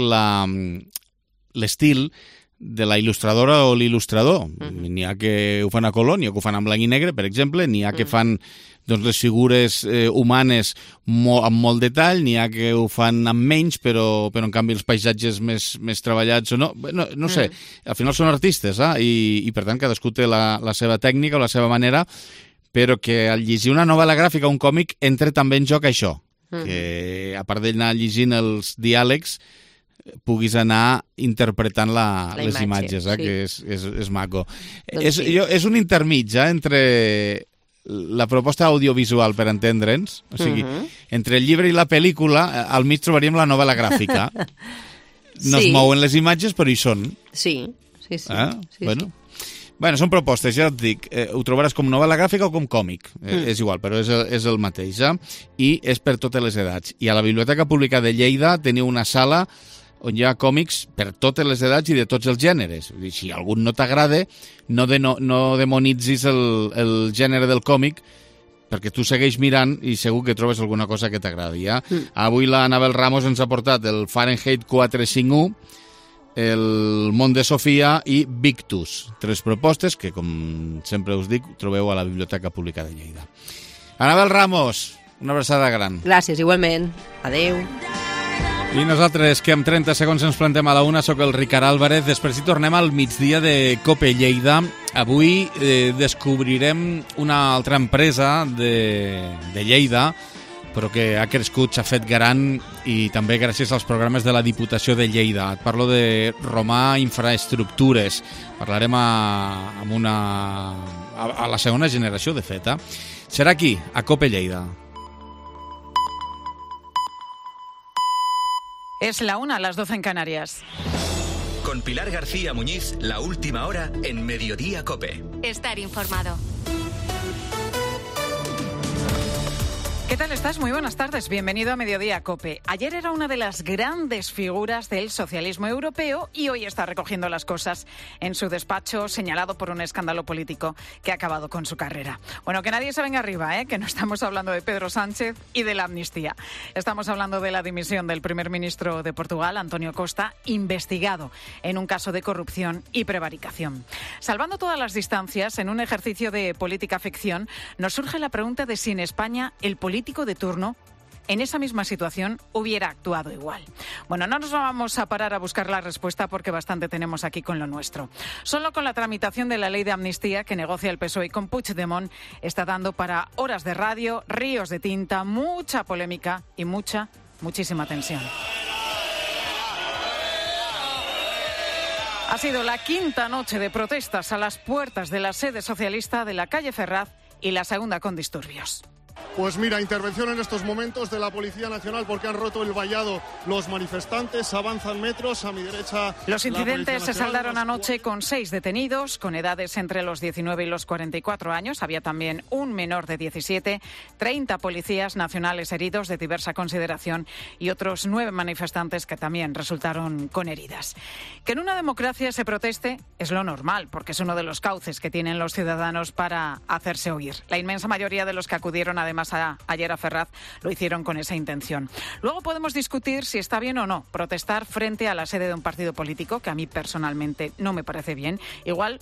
l'estil de la il·lustradora o l'il·lustrador. N'hi ha que ho fan a color, n'hi ha que ho fan en blanc i negre, per exemple, n'hi ha que fan les figures humanes amb molt detall, n'hi ha que ho fan amb menys, però en canvi els paisatges més treballats o no. No sé, al final són artistes, i per tant cadascú té la seva tècnica o la seva manera, però que al llegir una novel·la gràfica o un còmic entra també en joc això, que a part d'anar llegint els diàlegs puguis anar interpretant les imatges, que és maco. És un intermig entre la proposta audiovisual, per entendre'ns, o sigui, entre el llibre i la pel·lícula, al mig trobaríem la novel·la gràfica. No es mouen les imatges, però hi són. Sí. Bueno, són propostes, ja et dic, ho trobaràs com novel·la gràfica o com còmic, és igual, però és el mateix, i és per totes les edats. I a la Biblioteca Pública de Lleida teniu una sala on hi ha còmics per totes les edats i de tots els gèneres. Si algun no t'agrada, no demonitzis el gènere del còmic, perquè tu segueix mirant i segur que trobes alguna cosa que t'agradi. Avui la Anabel Ramos ens ha portat el Fahrenheit 451, el Món de Sofia i Victus. 3 propostes que, com sempre us dic, trobeu a la Biblioteca Pública de Lleida. Anabel Ramos, una abraçada gran. Gràcies, igualment. Adeu. I nosaltres, que en 30 segons ens plantem a la una, soc el Ricard Álvarez. Després hi tornem al migdia de COPE Lleida. Avui descobrirem una altra empresa de Lleida, però que ha crescut, s'ha fet gran, i també gràcies als programes de la Diputació de Lleida. Et parlo de Romà Infraestructures. Parlarem a la segona generació, de fet. Serà aquí, a COPE Lleida. Es la 1, las 12 en Canarias. Con Pilar García Muñiz, la última hora en Mediodía COPE. Estar informado. ¿Qué tal estás? Muy buenas tardes. Bienvenido a Mediodía COPE. Ayer era una de las grandes figuras del socialismo europeo y hoy está recogiendo las cosas en su despacho, señalado por un escándalo político que ha acabado con su carrera. Bueno, que nadie se venga arriba, que no estamos hablando de Pedro Sánchez y de la amnistía. Estamos hablando de la dimisión del primer ministro de Portugal, António Costa, investigado en un caso de corrupción y prevaricación. Salvando todas las distancias, en un ejercicio de política ficción, nos surge la pregunta de si en España el político de turno en esa misma situación hubiera actuado igual. Bueno, no nos vamos a parar a buscar la respuesta porque bastante tenemos aquí con lo nuestro. Solo con la tramitación de la ley de amnistía que negocia el PSOE con Puigdemont está dando para horas de radio, ríos de tinta, mucha polémica y muchísima tensión. Ha sido la 5ª noche de protestas a las puertas de la sede socialista de la calle Ferraz y la segunda con disturbios. Pues mira, intervención en estos momentos de la Policía Nacional porque han roto el vallado los manifestantes, avanzan metros, a mi derecha... Los incidentes se saldaron anoche con 6 detenidos, con edades entre los 19 y los 44 años. Había también un menor de 17, 30 policías nacionales heridos de diversa consideración y otros 9 manifestantes que también resultaron con heridas. Que en una democracia se proteste es lo normal, porque es uno de los cauces que tienen los ciudadanos para hacerse oír. La inmensa mayoría de los que acudieron además ayer a Ferraz lo hicieron con esa intención. Luego podemos discutir si está bien o no protestar frente a la sede de un partido político, que a mí personalmente no me parece bien. Igual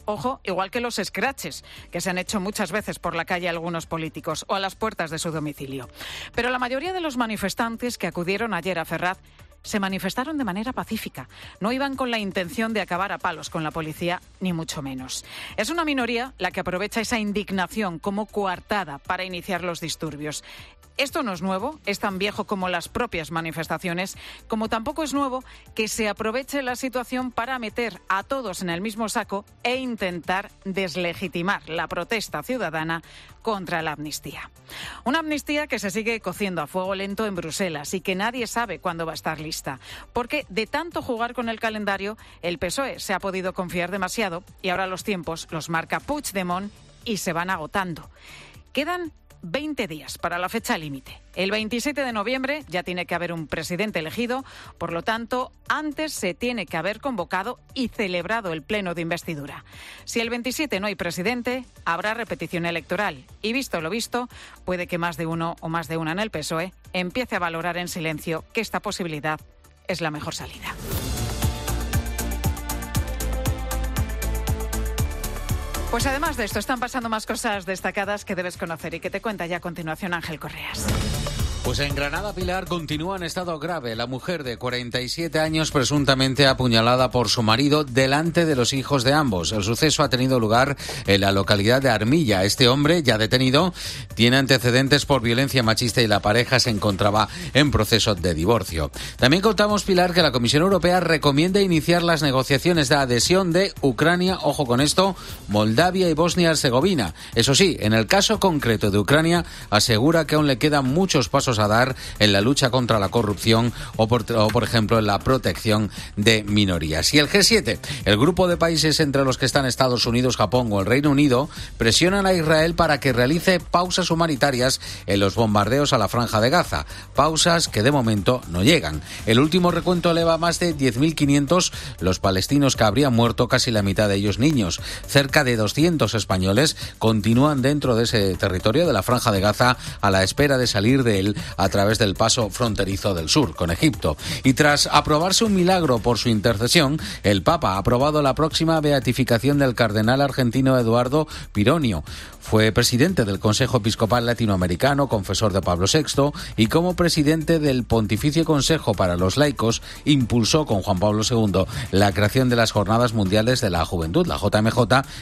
que los scratches que se han hecho muchas veces por la calle a algunos políticos o a las puertas de su domicilio. Pero la mayoría de los manifestantes que acudieron ayer a Ferraz se manifestaron de manera pacífica. No iban con la intención de acabar a palos con la policía, ni mucho menos. Es una minoría la que aprovecha esa indignación como coartada para iniciar los disturbios. Esto no es nuevo, es tan viejo como las propias manifestaciones, como tampoco es nuevo que se aproveche la situación para meter a todos en el mismo saco e intentar deslegitimar la protesta ciudadana contra la amnistía. Una amnistía que se sigue cociendo a fuego lento en Bruselas y que nadie sabe cuándo va a estar lista, porque de tanto jugar con el calendario, el PSOE se ha podido confiar demasiado y ahora los tiempos los marca Puigdemont y se van agotando. Quedan 20 días para la fecha límite. El 27 de noviembre ya tiene que haber un presidente elegido, por lo tanto, antes se tiene que haber convocado y celebrado el pleno de investidura. Si el 27 no hay presidente, habrá repetición electoral. Y visto lo visto, puede que más de uno o más de una en el PSOE empiece a valorar en silencio que esta posibilidad es la mejor salida. Pues además de esto, están pasando más cosas destacadas que debes conocer y que te cuenta ya a continuación Ángel Correas. Pues en Granada, Pilar, continúa en estado grave. La mujer de 47 años presuntamente apuñalada por su marido delante de los hijos de ambos. El suceso ha tenido lugar en la localidad de Armilla. Este hombre, ya detenido, tiene antecedentes por violencia machista y la pareja se encontraba en proceso de divorcio. También contamos, Pilar, que la Comisión Europea recomienda iniciar las negociaciones de adhesión de Ucrania, ojo con esto, Moldavia y Bosnia-Herzegovina. Eso sí, en el caso concreto de Ucrania, asegura que aún le quedan muchos pasos pasos a dar en la lucha contra la corrupción o por ejemplo, en la protección de minorías. Y el G7, el grupo de países entre los que están Estados Unidos, Japón o el Reino Unido, presionan a Israel para que realice pausas humanitarias en los bombardeos a la Franja de Gaza. Pausas que de momento no llegan. El último recuento eleva a más de 10.500 los palestinos que habrían muerto, casi la mitad de ellos niños. Cerca de 200 españoles continúan dentro de ese territorio de la Franja de Gaza a la espera de salir de él a través del paso fronterizo del sur con Egipto. Y tras aprobarse un milagro por su intercesión, el Papa ha aprobado la próxima beatificación del cardenal argentino Eduardo Pironio. Fue presidente del Consejo Episcopal Latinoamericano, confesor de Pablo VI, y como presidente del Pontificio Consejo para los Laicos, impulsó con Juan Pablo II la creación de las Jornadas Mundiales de la Juventud, la JMJ,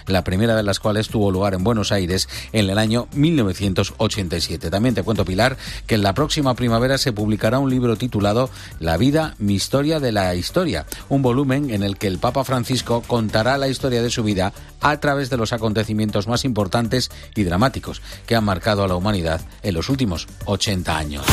la primera de las cuales tuvo lugar en Buenos Aires en el año 1987. También te cuento, Pilar, que en la próxima primavera se publicará un libro titulado La vida, mi historia de la historia, un volumen en el que el Papa Francisco contará la historia de su vida a través de los acontecimientos más importantes y dramáticos que han marcado a la humanidad en los últimos 80 años.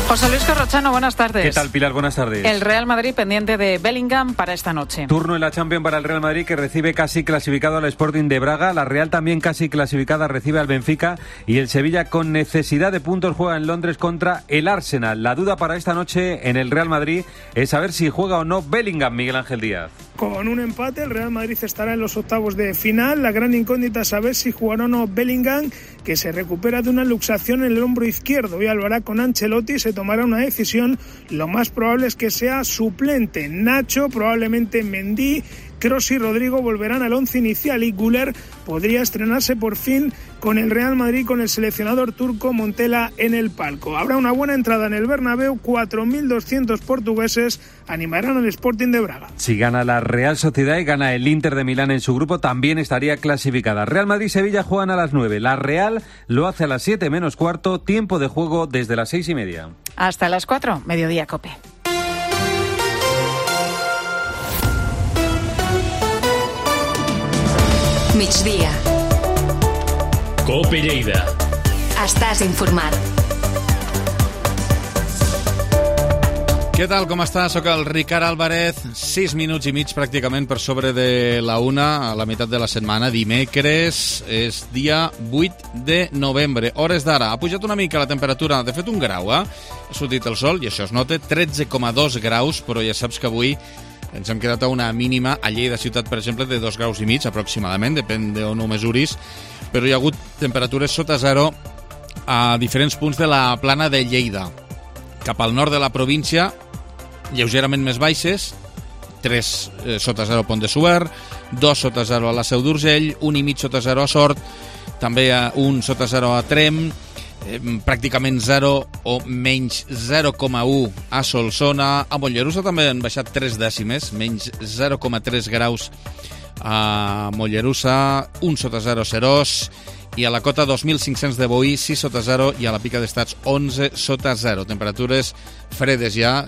José Luis Corrochano, buenas tardes. ¿Qué tal, Pilar? Buenas tardes. El Real Madrid pendiente de Bellingham para esta noche. Turno en la Champions para el Real Madrid, que recibe casi clasificado al Sporting de Braga. La Real también casi clasificada recibe al Benfica. Y el Sevilla, con necesidad de puntos, juega en Londres contra el Arsenal. La duda para esta noche en el Real Madrid es saber si juega o no Bellingham, Miguel Ángel Díaz. Con un empate, el Real Madrid estará en los octavos de final. La gran incógnita es saber si jugará o no Bellingham, que se recupera de una luxación en el hombro izquierdo. Hoy lo hará con Ancelotti, se tomará una decisión. Lo más probable es que sea suplente. Nacho, probablemente Mendy, Kroos y Rodrigo volverán al once inicial y Güler podría estrenarse por fin con el Real Madrid con el seleccionador turco Montella en el palco. Habrá una buena entrada en el Bernabéu, 4.200 portugueses animarán al Sporting de Braga. Si gana la Real Sociedad y gana el Inter de Milán en su grupo, también estaría clasificada. Real Madrid y Sevilla juegan a las 9. La Real lo hace a las 7 menos cuarto, tiempo de juego desde las 6:30. Hasta las 4, mediodía COPE. Migdia. COPE Lleida. Estàs informat. Què tal, com està? Soc el Ricard Álvarez, 6 minuts i mig pràcticament per sobre de la 1, a la meitat de la setmana, dimecres, és dia 8 de novembre, hores d'ara. Ha pujat una mica la temperatura, de fet un grau, Ha sortit el sol i això es nota, 13,2 graus, però ja saps que avui ens hem quedat a una mínima a Lleida ciutat, per exemple, de 2 graus i mig aproximadament, depèn d'on ho mesuris, però hi ha hagut temperatures sota zero a diferents punts de la plana de Lleida. Cap al nord de la província, lleugerament més baixes, 3 sota zero a Pont de Suert, 2 sota zero a la Seu d'Urgell, 1,5 sota zero a Sort, també 1 sota zero a Tremp, pràcticament 0 o menys 0,1 a Solsona. A Mollerussa també han baixat 3 dècimes, menys 0,3 graus a Mollerussa, 1 sota 0 a Serós, i a la cota 2.500 de Boí, 6 sota 0, i a la Pica d'Estats 11 sota 0. Temperatures fredes ja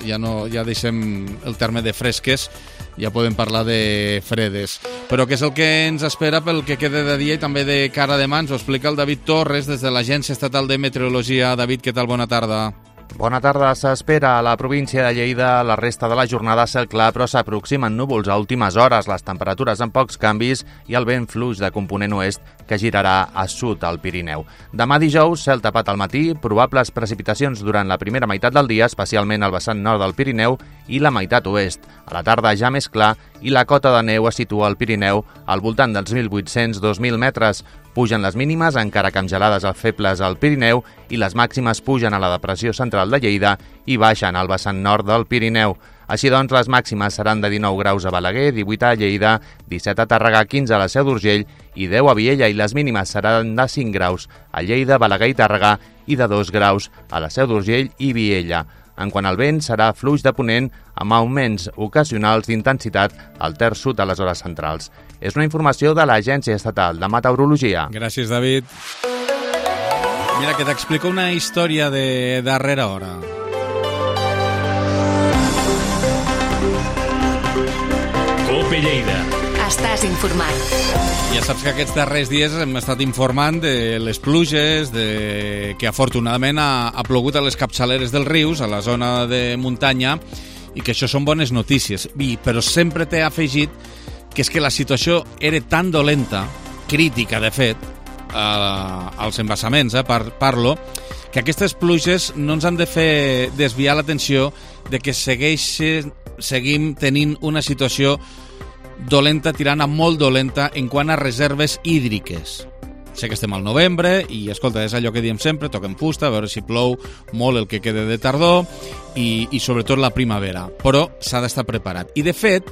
deixem el terme de fresques, ja podem parlar de fredes. Però què és el que ens espera pel que queda de dia i també de cara a demà? Ens ho explica el David Torres des de l'Agència Estatal de Meteorologia. David, què tal? Bona tarda. Bona tarda. S'espera a la província de Lleida la resta de la jornada cel clar, però s'aproximen núvols a últimes hores, les temperatures amb pocs canvis i el vent fluix de component oest que girarà a sud al Pirineu. Demà dijous, cel tapat al matí, probables precipitacions durant la primera meitat del dia, especialment al vessant nord del Pirineu i la meitat oest. A la tarda ja més clar i la cota de neu es situa al Pirineu al voltant dels 1.800-2.000 metres. Pugen les mínimes, encara que amb gelades febles al Pirineu, i les màximes pugen a la depressió central de Lleida i baixen al vessant nord del Pirineu. Així doncs, les màximes seran de 19 graus a Balaguer, 18 a Lleida, 17 a Tàrrega, 15 a la Seu d'Urgell i 10 a Viella, i les mínimes seran de 5 graus a Lleida, Balaguer i Tàrrega i de 2 graus a la Seu d'Urgell i Viella. En quant al vent, serà fluix de ponent amb augments ocasionals d'intensitat al terç sud a les hores centrals. És una informació de l'Agència Estatal de Meteorologia. Gràcies, David. Mira, que t'explico una història de darrera hora. COPE Lleida. Estàs informat. Ja saps que aquests darrers dies hem estat informant de les pluges, que afortunadament ha plogut a les capçaleres dels rius, a la zona de muntanya, i que això són bones notícies. Però sempre t'he afegit que és que la situació era tan dolenta, crítica de fet, als embassaments, parlo, que aquestes pluges no ens han de fer desviar l'atenció de que seguim tenint una situació dolenta, tirant a molt dolenta en quant a reserves hídriques. Sé que estem al novembre i, escolta, és allò que diem sempre, toquem fusta, a veure si plou molt el que queda de tardor i sobretot la primavera. Però s'ha d'estar preparat. I, de fet,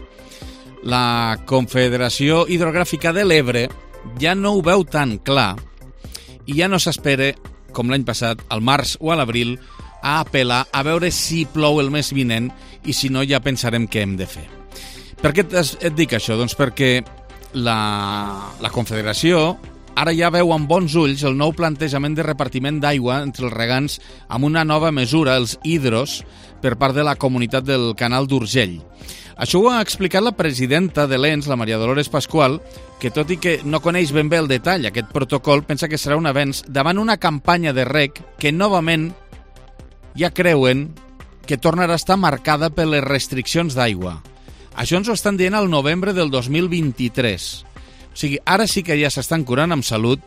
la Confederació Hidrogràfica de l'Ebre ja no ho veu tan clar i ja no s'espera, com l'any passat, al març o a l'abril, a apel·lar a veure si plou el mes vinent i si no ja pensarem què hem de fer. Per què et dic això? Doncs perquè la Confederació ara ja veu amb bons ulls el nou plantejament de repartiment d'aigua entre els regants amb una nova mesura, els hidros, per part de la comunitat del Canal d'Urgell. Això ho ha explicat la presidenta de l'ENS, la Maria Dolores Pascual, que tot i que no coneix ben bé el detall, aquest protocol, pensa que serà un avenç davant una campanya de reg que novament ja creuen que tornarà a estar marcada per les restriccions d'aigua. Això ens ho estan dient al novembre del 2023. O sigui, ara sí que ja s'estan curant amb salut,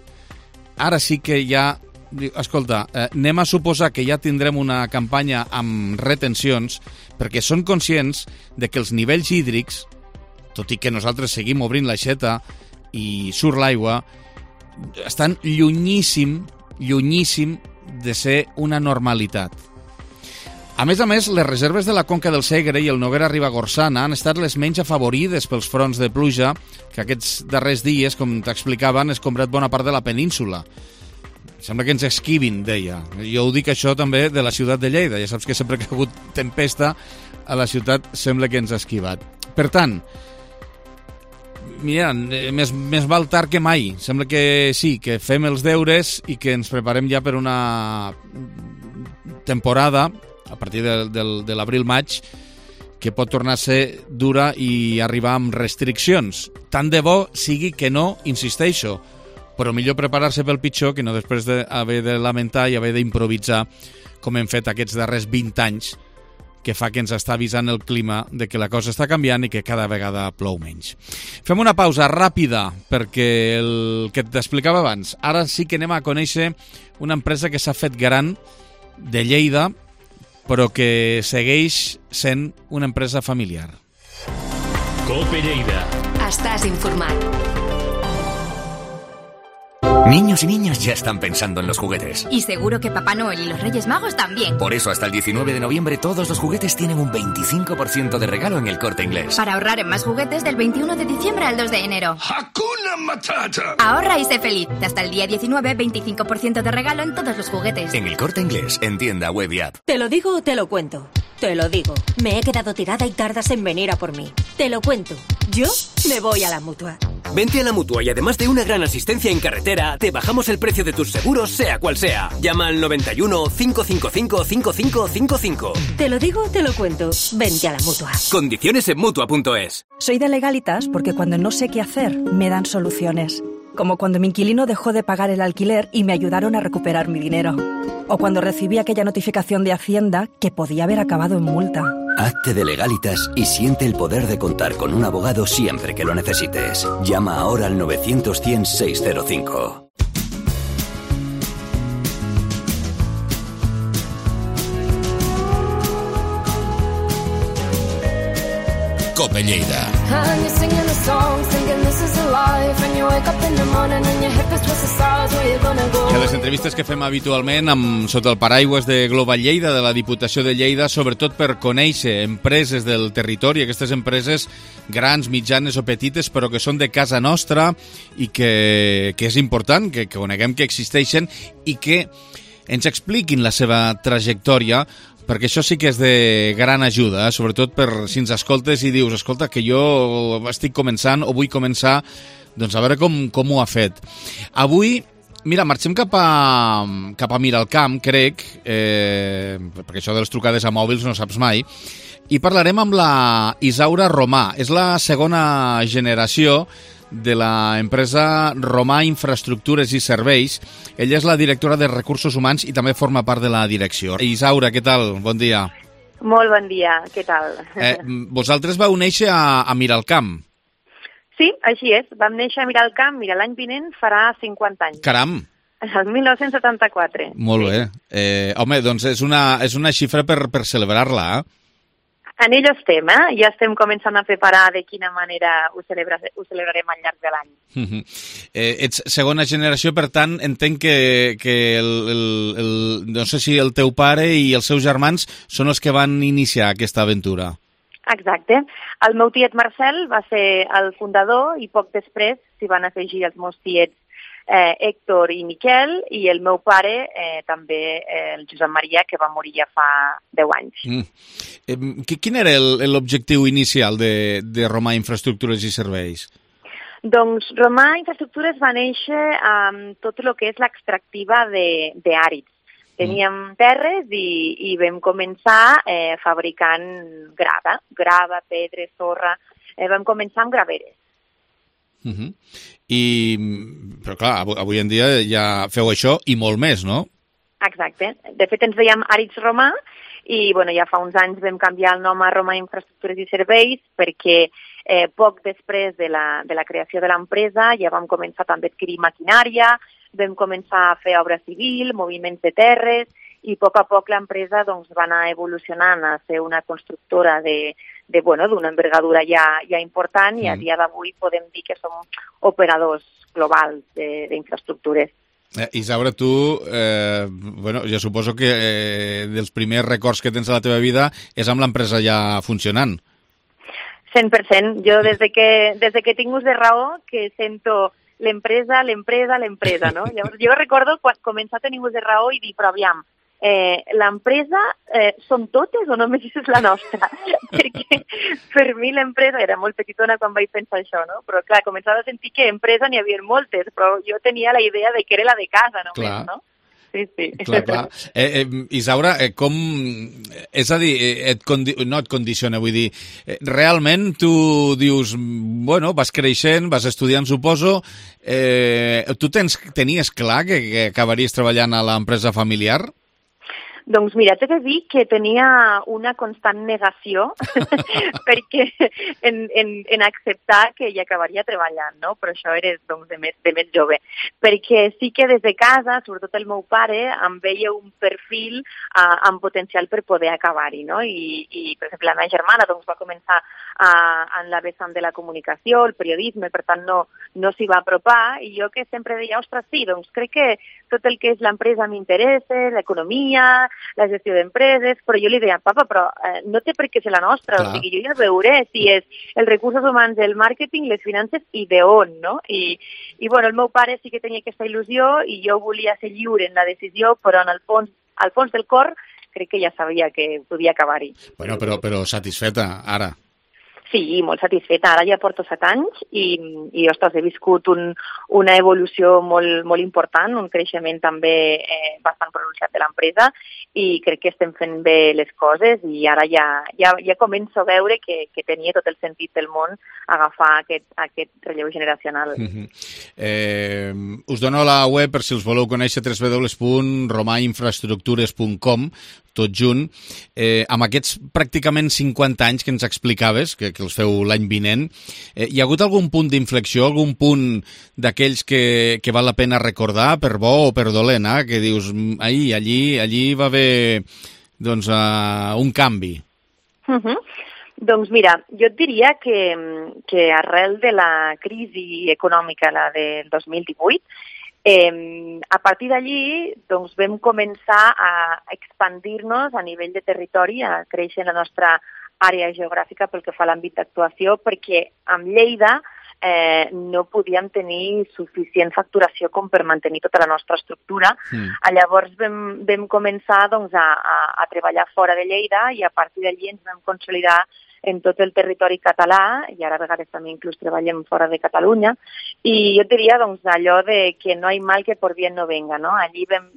ara sí que ja... Escolta, anem a suposar que ja tindrem una campanya amb retencions perquè són conscients de que els nivells hídrics, tot i que nosaltres seguim obrint l'aixeta i surt l'aigua, estan llunyíssim de ser una normalitat. A més, les reserves de la Conca del Segre i el Noguera-Ribagorçana han estat les menys afavorides pels fronts de pluja que aquests darrers dies, com t'explicava, han escombrat bona part de la península. Sembla que ens esquivin, deia. Jo ho dic això també de la ciutat de Lleida. Ja saps que sempre que ha hagut tempesta a la ciutat sembla que ens ha esquivat. Per tant, mira, més val tard que mai. Sembla que sí, que fem els deures i que ens preparem ja per una temporada a partir de l'abril-maig que pot tornar a ser dura i arribar amb restriccions. Tant de bo sigui que no, insisteixo, però millor preparar-se pel pitjor que no després d'haver de lamentar i haver d'improvisar com hem fet aquests darrers 20 anys, que fa que ens està avisant el clima de que la cosa està canviant i que cada vegada plou menys. Fem una pausa ràpida perquè el que t'explicava abans, ara sí que anem a conèixer una empresa que s'ha fet gran de Lleida, però que segueix sent una empresa familiar. COPE Lleida. Estàs informat. Niños y niñas ya están pensando en los juguetes. Y seguro que Papá Noel y los Reyes Magos también. Por eso hasta el 19 de noviembre todos los juguetes tienen un 25% de regalo en El Corte Inglés. Para ahorrar en más juguetes del 21 de diciembre al 2 de enero. ¡Hakuna Matata! Ahorra y sé feliz. Hasta el día 19, 25% de regalo en todos los juguetes. En El Corte Inglés, en tienda, web y app. ¿Te lo digo o te lo cuento? Te lo digo. Me he quedado tirada y tardas en venir a por mí. Te lo cuento. Yo me voy a la Mutua. Vente a la Mutua y además de una gran asistencia en carretera, te bajamos el precio de tus seguros, sea cual sea. Llama al 91 555 5555. Te lo digo, te lo cuento. Vente a la Mutua. Condiciones en Mutua.es. Soy de Legalitas porque cuando no sé qué hacer, me dan soluciones. Como cuando mi inquilino dejó de pagar el alquiler y me ayudaron a recuperar mi dinero. O cuando recibí aquella notificación de Hacienda que podía haber acabado en multa. Hazte de Legalitas y siente el poder de contar con un abogado siempre que lo necesites. Llama ahora al 900-100-605. COPE Lleida. I a les entrevistes que fem habitualment sota el paraigües de Global Lleida, de la Diputació de Lleida, sobretot per conèixer empreses del territori, aquestes empreses grans, mitjanes o petites, però que són de casa nostra i que és important que coneguem que existeixen i que ens expliquin la seva trajectòria, perquè això sí que és de gran ajuda, sobretot per si ens escoltes i dius, escolta, que jo estic començant o vull començar, doncs a veure com ho ha fet. Avui, mira, marxem cap a Miralcamp, crec, perquè això de les trucades a mòbils no saps mai, I parlarem amb la Isaura Romà. És la segona generació de l'empresa Romà Infraestructures i Serveis. Ella és la directora de Recursos Humans i també forma part de la direcció. Isaura, què tal? Bon dia. Molt bon dia, què tal? Vosaltres vau néixer a Miralcamp. Sí, així és. Vam néixer a Miralcamp, mira, l'any vinent farà 50 anys. Caram! El 1974. Molt bé. Home, doncs és una xifra per celebrar-la, En ello estem, Ja estem començant a preparar de quina manera ho celebrarem al llarg de l'any. Ets segona generació, per tant, entenc que no sé si el teu pare i els seus germans són els que van iniciar aquesta aventura. Exacte. El meu tiet Marcel va ser el fundador i poc després s'hi van afegir els meus tiets Héctor i Miquel, i el meu pare també, el Josep Maria, que va morir ja fa 10 anys. Quin era l'objectiu inicial de Romà Infraestructures i Serveis? Doncs Romà Infraestructures va néixer amb tot el que és l'extractiva d'àrids. Teníem terres i vam començar fabricant grava, pedra, sorra. Vam començar amb graveres. Però clar, avui en dia ja feu això i molt més, no? Exacte. De fet, ens dèiem Àrids Romà i ja fa uns anys vam canviar el nom a Romà Infraestructures i Serveis perquè poc després de la creació de l'empresa ja vam començar també a adquirir maquinària, vam començar a fer obra civil, moviments de terres, i a poc l'empresa va anar evolucionant a ser una constructora d'una envergadura ja important, i a dia d'avui podem dir que som operadors globals d'infraestructures. Isaura, tu, jo suposo que dels primers records que tens a la teva vida és amb l'empresa ja funcionant. 100%. Jo des de que tinc ús de raó que sento l'empresa, no? Llavors, jo recordo quan començar a tenir ús de raó i dir, però aviam, l'empresa són totes o només és la nostra? Perquè per mi l'empresa era molt petitona quan vaig pensar això, no? Però clar, començava a sentir que empresa n'hi havia moltes, però jo tenia la idea de que era la de casa només, clar. No? Sí. Clar. Isaura, com... És a dir, no et condiciona, vull dir, realment tu dius, vas creixent, vas estudiant, suposo, tu tenies clar que acabaries treballant a l'empresa familiar? Doncs mira, t'he de dir que tenia una constant negació perquè en acceptar que hi acabaria treballant, no? Però això era de més jove. Perquè sí que des de casa, sobretot el meu pare, em veia un perfil amb potencial per poder acabar-hi, no? I per exemple, la meva germana va començar en la vessant de la comunicació, el periodisme, per tant no s'hi va apropar, i jo que sempre deia, ostres, sí, doncs crec que tot el que és l'empresa m'interessa, l'economia, la gestió d'empreses, però jo li deia, papa, però no té per què ser la nostra, o sigui, jo ja veuré si és els recursos humans, el màrqueting, les finances i d'on, no? I el meu pare sí que tenia aquesta il·lusió i jo volia ser lliure en la decisió, però en el fons, al fons del cor, crec que ja sabia que podia acabar-hi. Però satisfeta, ara. Sí, molt satisfeta. Ara ja porto 7 anys i ostres, he viscut una evolució molt important, un creixement també bastant pronunciat de l'empresa, i crec que estem fent bé les coses, i ara ja començo a veure que tenia tot el sentit del món agafar aquest relleu generacional. Us dono la web per si els voleu conèixer, www.romainfraestructures.com, tot junt. Amb aquests pràcticament 50 anys que ens explicaves, que els feu l'any vinent, hi ha hagut algun punt d'inflexió, algun punt d'aquells que val la pena recordar, per bo o per dolent, que dius, allí va haver un canvi? Doncs mira, jo et diria que arrel de la crisi econòmica, la del 2018, a partir d'allí vam començar a expandir-nos a nivell de territori, a créixer la nostra àrea geogràfica pel que fa a l'àmbit d'actuació, perquè amb Lleida no podíem tenir suficient facturació com per mantenir tota la nostra estructura. Llavors vam començar a treballar fora de Lleida i a partir d'allí ens vam consolidar en tot el territori català, i ara a vegades també inclús treballem fora de Catalunya, i jo diria allò de que no hi mal que por bien no venga, no? Allí vam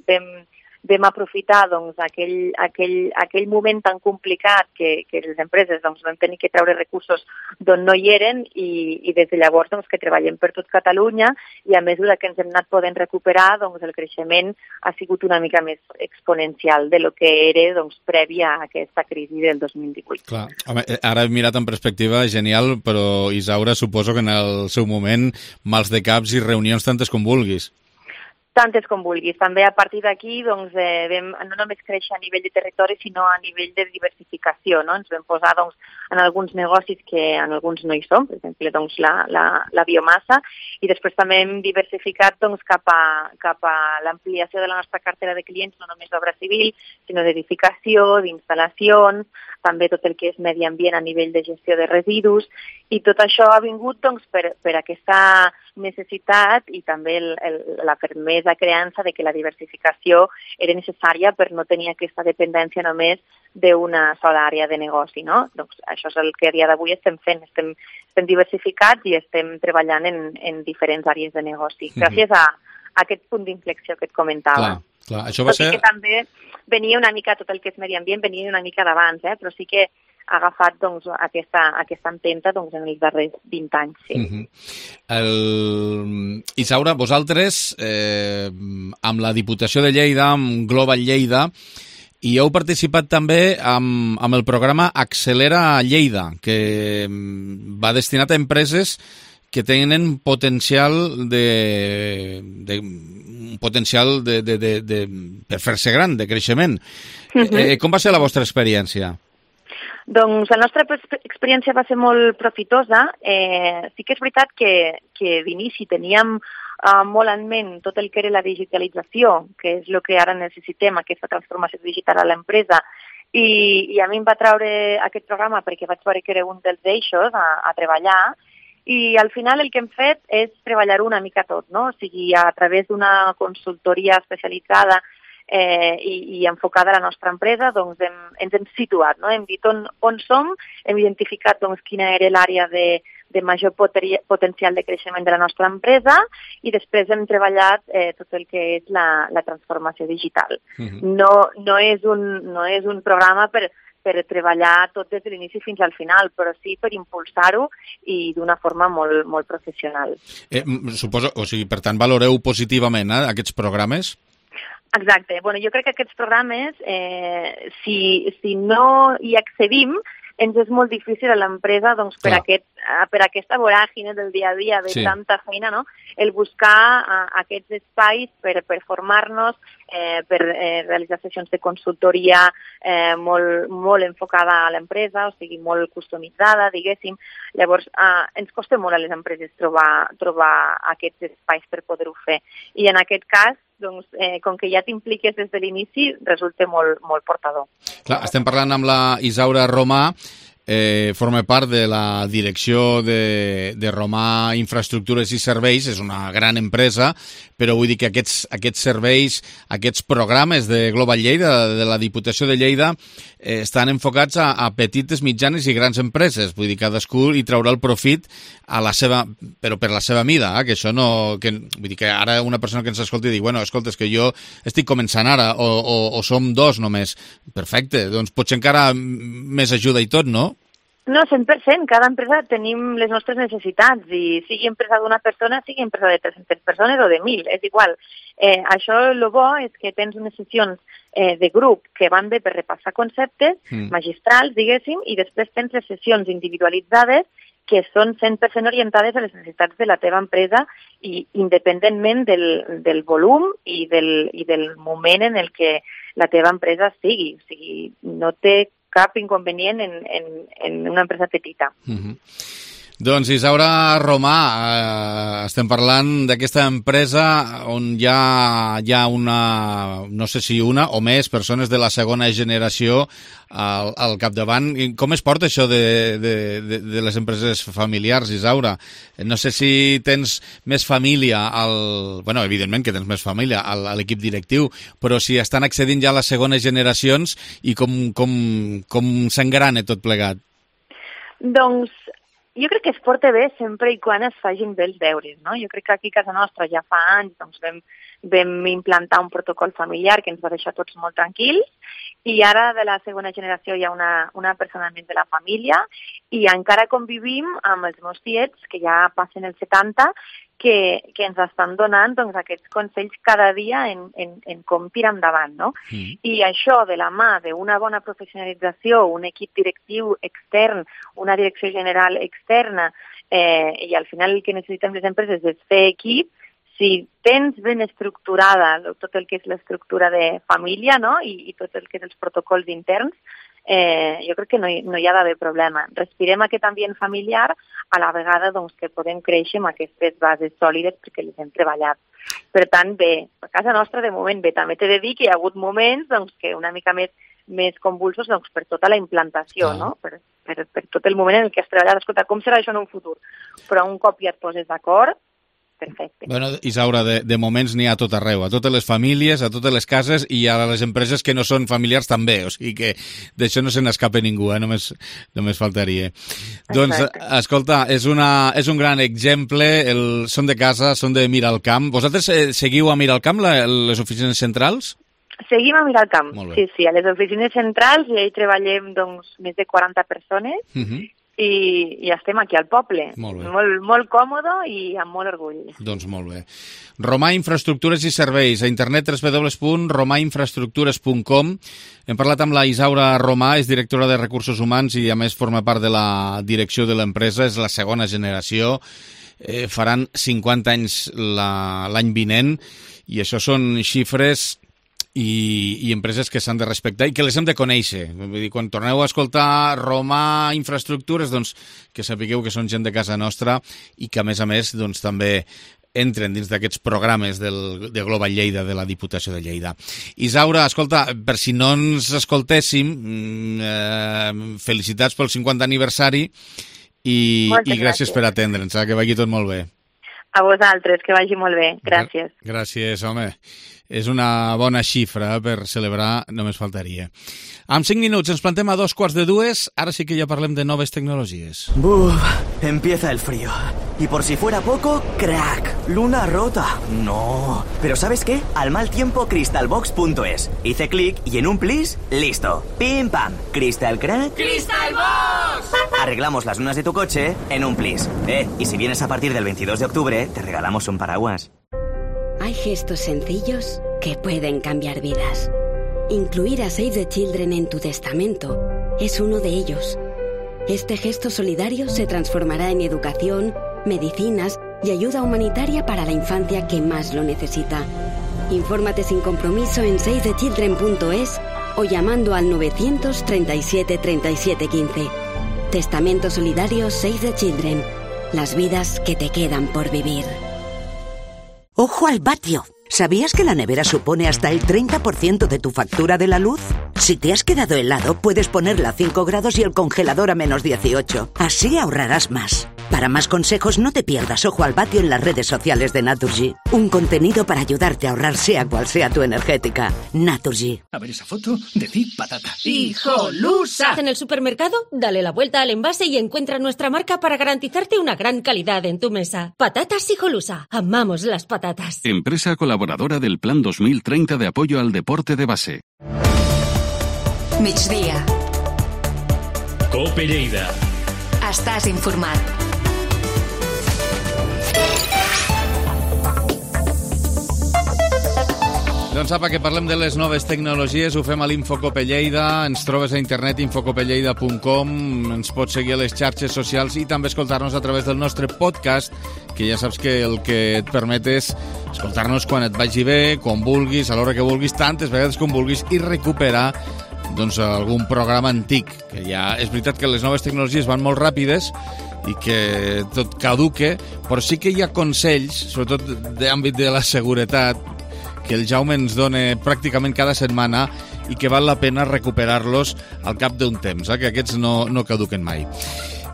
vam aprofitar doncs, aquell moment tan complicat que les empreses doncs, vam tenir que treure recursos d'on no hi eren i des de llavors doncs, que treballem per tot Catalunya i a mesura que ens hem anat podent recuperar doncs, el creixement ha sigut una mica més exponencial de lo que era doncs, prèvia a aquesta crisi del 2018. Clar. Home, ara he mirat en perspectiva, genial, però Isaura, suposo que en el seu moment mals de caps i reunions tantes com vulguis. Tantes com vulguis. També a partir d'aquí doncs, vam no només créixer a nivell de territori, sinó a nivell de diversificació. No? Ens vam posar doncs, en alguns negocis que en alguns no hi som, per exemple doncs, la biomassa, i després també hem diversificat doncs, cap a l'ampliació de la nostra cartera de clients, no només d'obra civil, sinó d'edificació, d'instal·lacions, també tot el que és medi ambient a nivell de gestió de residus, i tot això ha vingut doncs, per aquesta necessitat i també la fermesa creança de que la diversificació era necessària per no tenir aquesta dependència només d'una sola àrea de negoci, no? Doncs això és el que a dia d'avui estem fent, estem diversificats i estem treballant en diferents àrees de negoci, gràcies a aquest punt d'inflexió que et comentava. Clar. Això va ser... que també venia una mica, tot el que és medi ambient, venia una mica d'abans, però sí que ha agafat doncs, aquesta empenta doncs, en els darrers 20 anys. Sí. Isaura, vosaltres, amb la Diputació de Lleida, amb Global Lleida, i heu participat també amb el programa Accelera Lleida, que va destinat a empreses que tenen potencial per fer-se gran, de creixement. Com va ser la vostra experiència? Doncs la nostra experiència va ser molt profitosa. Sí que és veritat que d'inici teníem molt en ment tot el que era la digitalització, que és el que ara necessitem, aquesta transformació digital a l'empresa, i a mi em va traure aquest programa perquè vaig veure que era un dels eixos a treballar, i al final el que hem fet és treballar-ho una mica tot, no? O sigui, a través d'una consultoria especialitzada i enfocada a la nostra empresa, doncs ens hem situat, no? Hem dit on som, hem identificat doncs, quina era l'àrea de major potencial de creixement de la nostra empresa i després hem treballat tot el que és la transformació digital. No és un programa per treballar tot des de l'inici fins al final, però sí per impulsar-ho i d'una forma molt, molt professional. Suposo, o sigui, per tant, valoreu positivament aquests programes? Exacte. Bueno, jo crec que aquests programes, si no hi accedim, ens és molt difícil a l'empresa doncs, per aquesta voràgine del dia a dia de tanta feina, no? El buscar aquests espais per formar-nos, per realitzar sessions de consultoria molt enfocada a l'empresa, o sigui, molt customitzada, diguéssim. Llavors, ens costa molt a les empreses trobar aquests espais per poder-ho fer. I en aquest cas, doncs, com que ja t'impliques des de l'inici, resulta molt, molt portador. Clar, estem parlant amb la Isaura Romà, forma part de la direcció de Romà Infraestructures i Serveis, és una gran empresa, però vull dir que aquests serveis, aquests programes de Global Lleida, de la Diputació de Lleida, estan enfocats a petites, mitjanes i grans empreses. Vull dir, cadascú hi traurà el profit però per la seva mida, que això no... vull dir que ara una persona que ens escolti digui, bueno, escolta, és que jo estic començant ara, o som dos només. Perfecte, doncs potser encara més ajuda i tot, no? No, 100%. Cada empresa tenim les nostres necessitats i sigui empresa d'una persona, sigui empresa de 300 persones o de 1.000, és igual. Això el bo és que tens unes sessions de grup que van bé per repassar conceptes magistrals, diguéssim, i després tens les sessions individualitzades que són 100% orientades a les necessitats de la teva empresa i independentment del volum i del moment en el que la teva empresa sigui. O sigui, no té cap inconvenient en una empresa petita. Doncs Isaura Romà, estem parlant d'aquesta empresa on hi ha una, no sé si una o més persones de la segona generació al capdavant. Com es porta això de les empreses familiars, Isaura? No sé si tens més família, bueno, evidentment que tens més família a l'equip directiu, però si estan accedint ja a les segones generacions i com s'engrana tot plegat? Doncs Jo crec que es porta bé sempre i quan es facin bé els deures, no? Jo crec que aquí a casa nostra ja fa anys doncs vam implantar un protocol familiar que ens va deixar tots molt tranquils i ara de la segona generació hi ha una persona més de la família i encara convivim amb els meus tiets que ja passen els 70 que ens estan donant doncs, aquests consells cada dia en com tirar endavant, no? I això de la mà d'una bona professionalització, un equip directiu extern, una direcció general externa, i al final el que necessitem les empreses és fer equip, si tens ben estructurada tot el que és l'estructura de família, no? I tot el que és els protocols interns, jo crec que no hi ha d'haver problema. Respirem aquest ambient familiar a la vegada doncs, que podem créixer amb aquestes bases sòlides perquè les hem treballat. Per tant, bé, a casa nostra de moment bé. També t'he de dir que hi ha hagut moments doncs, que una mica més convulsos doncs, per tota la implantació, no? Per tot el moment en què has treballat. Escolta, com serà això en un futur? Però un cop ja et poses d'acord, perfecte. Bueno, Isaura, de moments n'hi ha a tot arreu, a totes les famílies, a totes les cases i a les empreses que no són familiars també, o sigui que d'això no se n'escapa ningú, només faltaria. Exacte. Doncs, escolta, és un gran exemple, són de casa, són de Miralcamp. Vosaltres seguiu a Miralcamp, les oficines centrals? Seguim a Miralcamp, sí, a les oficines centrals i ahí treballem doncs, més de 40 persones, i estem aquí al poble. Molt còmode i amb molt orgull. Doncs molt bé. Romà Infraestructures i Serveis, a internet www.romainfraestructures.com. Hem parlat amb la Isaura Romà, és directora de Recursos Humans i a més forma part de la direcció de l'empresa, és la segona generació. Faran 50 anys l'any vinent i això són xifres i empreses que s'han de respectar i que les hem de conèixer. Vull dir, quan torneu a escoltar Romà Infraestructures, doncs que sapigueu que són gent de casa nostra i que, a més, doncs, també entren dins d'aquests programes de Global Lleida, de la Diputació de Lleida. Isaura, escolta, per si no ens escoltéssim, felicitats pel 50 aniversari i gràcies per atendre'ns, que vagi tot molt bé. A vosaltres, que vagi molt bé. Gràcies. Gràcies, home. És una bona xifra per celebrar, només faltaria. En 5 minuts ens plantem a 2:45, ara sí que ja parlem de noves tecnologies. Empieza el frío. Y por si fuera poco, crack, luna rota. No. Pero ¿sabes qué? Al mal tiempo, crystalbox.es. Hice clic y en un plis, listo. Pim pam. ¿Crystal crack? ¡Crystalbox! Arreglamos las lunas de tu coche en un plis. Y si vienes a partir del 22 de octubre, te regalamos un paraguas. Hay gestos sencillos que pueden cambiar vidas. Incluir a Save the Children en tu testamento es uno de ellos. Este gesto solidario se transformará en educación, medicinas y ayuda humanitaria para la infancia que más lo necesita. Infórmate sin compromiso en savethechildren.es o llamando al 937 37 15. Testamento solidario Save the Children. Las vidas que te quedan por vivir. ¡Ojo al vatio! ¿Sabías que la nevera supone hasta el 30% de tu factura de la luz? Si te has quedado helado, puedes ponerla a 5 grados y el congelador a menos 18. Así ahorrarás más. Para más consejos, no te pierdas Ojo al vatio en las redes sociales de Naturgy. Un contenido para ayudarte a ahorrar sea cual sea tu energética. Naturgy. A ver esa foto, decid patata. ¡Hijolusa! En el supermercado, dale la vuelta al envase y encuentra nuestra marca para garantizarte una gran calidad en tu mesa. Patatas Hijolusa. Amamos las patatas. Empresa colaboradora del Plan 2030 de apoyo al deporte de base. Migdia. Cope Lleida. Estàs informat. Doncs apa, que parlem de les noves tecnologies, ho fem a l'Infocope Lleida, ens trobes a internet infocopelleida.com, ens pots seguir a les xarxes socials i també escoltar-nos a través del nostre podcast, que ja saps que el que et permet és escoltar-nos quan et vagi bé, quan vulguis, a l'hora que vulguis, tantes vegades com vulguis, i recuperar doncs algun programa antic, que ja és veritat que les noves tecnologies van molt ràpides i que tot caduque, però sí que hi ha consells, sobretot d'àmbit de la seguretat, que el Jaume ens dona pràcticament cada setmana i que val la pena recuperar-los al cap d'un temps, que aquests no caduquen mai.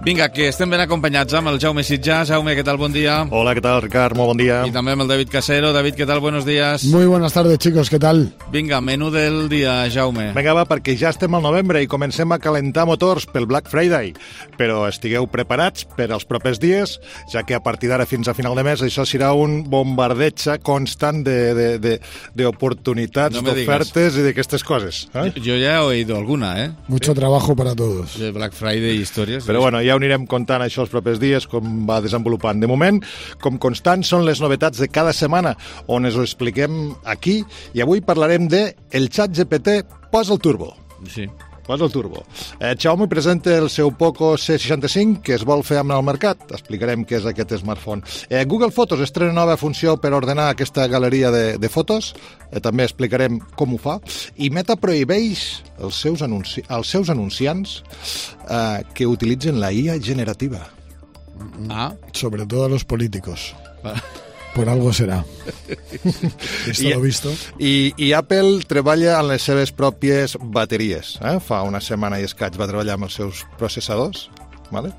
Vinga, que estem ben acompanyats amb el Jaume Sitjà. Jaume, què tal? Bon dia. Hola, ¿qué tal, Ricard? Muy buen día. Y también el David Casero. David, ¿qué tal? Buenos días. Muy buenas tardes, chicos, ¿qué tal? Vinga, menú del dia, Jaume. Vinga, va, perquè ja estem al novembre i comencem a calentar motors pel Black Friday. Però estigueu preparats per als propers dies, ja que a partir d'ara fins a final de mes això serà un bombardeig constant d'oportunitats, d'ofertes i d'aquestes coses. Jo ja he oído alguna, Mucho trabajo para todos. De Black Friday i històries. Però bueno, ja ho anirem contant això els propers dies, com va desenvolupant. De moment, com constant, són les novetats de cada setmana, on us ho expliquem aquí, i avui parlarem de el ChatGPT posa el turbo. Sí. Posa el turbo. Xiaomi presenta el seu Poco C65 que es vol fer amb el mercat. Explicarem què és aquest smartphone. Google Fotos estrena nova funció per ordenar aquesta galeria de fotos. També explicarem com ho fa. I Meta prohibeix als seus anunciants que utilitzen la IA generativa. Sobre todo a los políticos. Por algo será. Esto lo visto. I Apple treballa en les seves pròpies bateries. Fa una setmana i escaig va treballar amb els seus processadors,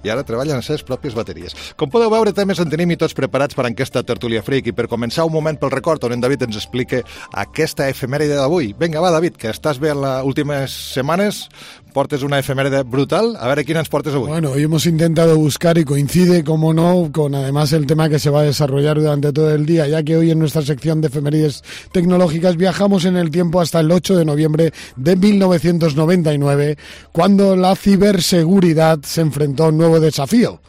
i ara treballa en les seves pròpies bateries. Com podeu veure, temes en tenim i tots preparats per aquesta tertúlia freak. I per començar, un moment pel record on en David ens explica aquesta efemèride d'avui. Vinga, va, David, que estàs bé en les últimes setmanes, portes una efeméride brutal. A ver, ¿quién nos portes hoy? Bueno, hoy hemos intentado buscar y coincide, como no, con además el tema que se va a desarrollar durante todo el día, ya que hoy en nuestra sección de efemérides tecnológicas viajamos en el tiempo hasta el 8 de noviembre de 1999, cuando la ciberseguridad se enfrentó a un nuevo desafío.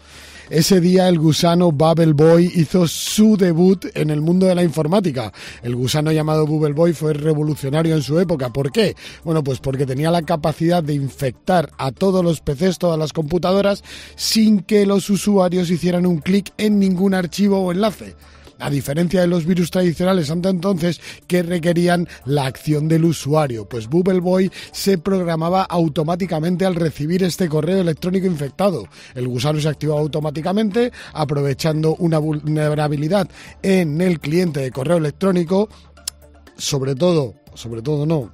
Ese día el gusano Bubble Boy hizo su debut en el mundo de la informática. El gusano llamado Bubble Boy fue revolucionario en su época. ¿Por qué? Bueno, pues porque tenía la capacidad de infectar a todos los PCs, todas las computadoras, sin que los usuarios hicieran un clic en ningún archivo o enlace. A diferencia de los virus tradicionales hasta entonces que requerían la acción del usuario, pues Bubble Boy se programaba automáticamente al recibir este correo electrónico infectado. El gusano se activaba automáticamente aprovechando una vulnerabilidad en el cliente de correo electrónico,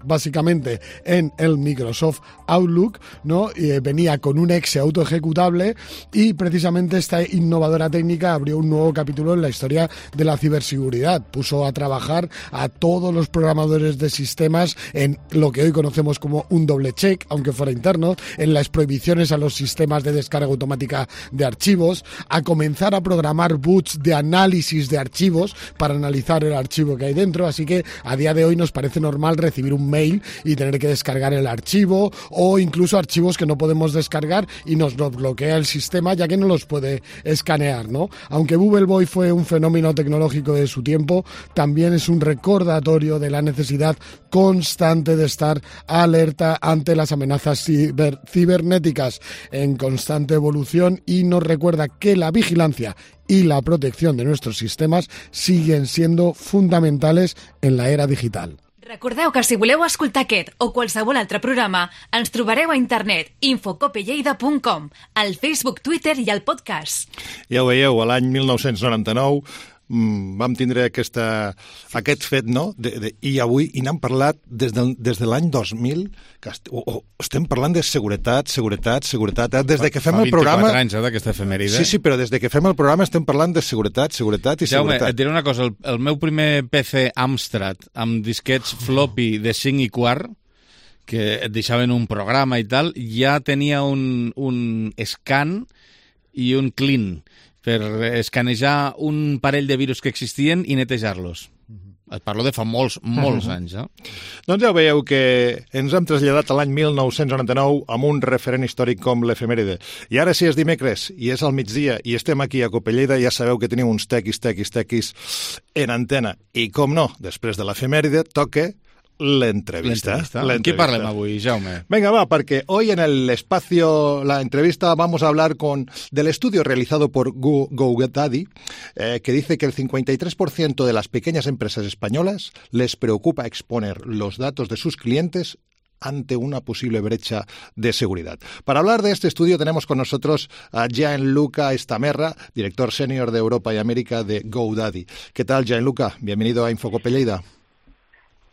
básicamente en el Microsoft Outlook, ¿no? Venía con un exe autoejecutable y precisamente esta innovadora técnica abrió un nuevo capítulo en la historia de la ciberseguridad. Puso a trabajar a todos los programadores de sistemas en lo que hoy conocemos como un doble check, aunque fuera interno, en las prohibiciones a los sistemas de descarga automática de archivos, a comenzar a programar boots de análisis de archivos para analizar el archivo que hay dentro. Así que a día de hoy nos parece normal recibir un mail y tener que descargar el archivo, o incluso archivos que no podemos descargar y nos bloquea el sistema ya que no los puede escanear, ¿no? Aunque Bubble Boy fue un fenómeno tecnológico de su tiempo, también es un recordatorio de la necesidad constante de estar alerta ante las amenazas cibernéticas en constante evolución, y nos recuerda que la vigilancia y la protección de nuestros sistemas siguen siendo fundamentales en la era digital. Recordeu que si voleu escoltar aquest o qualsevol altre programa, ens trobareu a internet infocopelleida.com, al Facebook, Twitter i al podcast. Ja ho veieu, a l'any 1999 vam tindre aquest fet, no? I avui n'hem parlat des de l'any 2000, que estem parlant de seguretat. Des de que fem el programa... Fa 24 anys, d'aquesta efemèride. Sí, però des de que fem el programa estem parlant de seguretat i seguretat. Jaume, et diré una cosa, el meu primer PC Amstrad amb disquets floppy de 5 i quart, que et deixaven un programa i tal, ja tenia un scan i un clean per escanejar un parell de virus que existien i netejar-los. Et parlo de fa molts anys, Doncs ja veieu que ens hem traslladat a l'any 1999 amb un referent històric com l'efemèride. I ara, si és dimecres i és al migdia i estem aquí a Copelleida, ja sabeu que teniu uns tequis en antena. I com no, després de l'efemèride toca l'entrevista. ¿En qué parlem avui, Jaume? Venga, va, porque hoy en el espacio, la entrevista, vamos a hablar del estudio realizado por GoDaddy, que dice que el 53% de las pequeñas empresas españolas les preocupa exponer los datos de sus clientes ante una posible brecha de seguridad. Para hablar de este estudio tenemos con nosotros a Gianluca Stamerra, director senior de Europa y América de GoDaddy. ¿Qué tal, Gianluca? Bienvenido a Infocopelleida.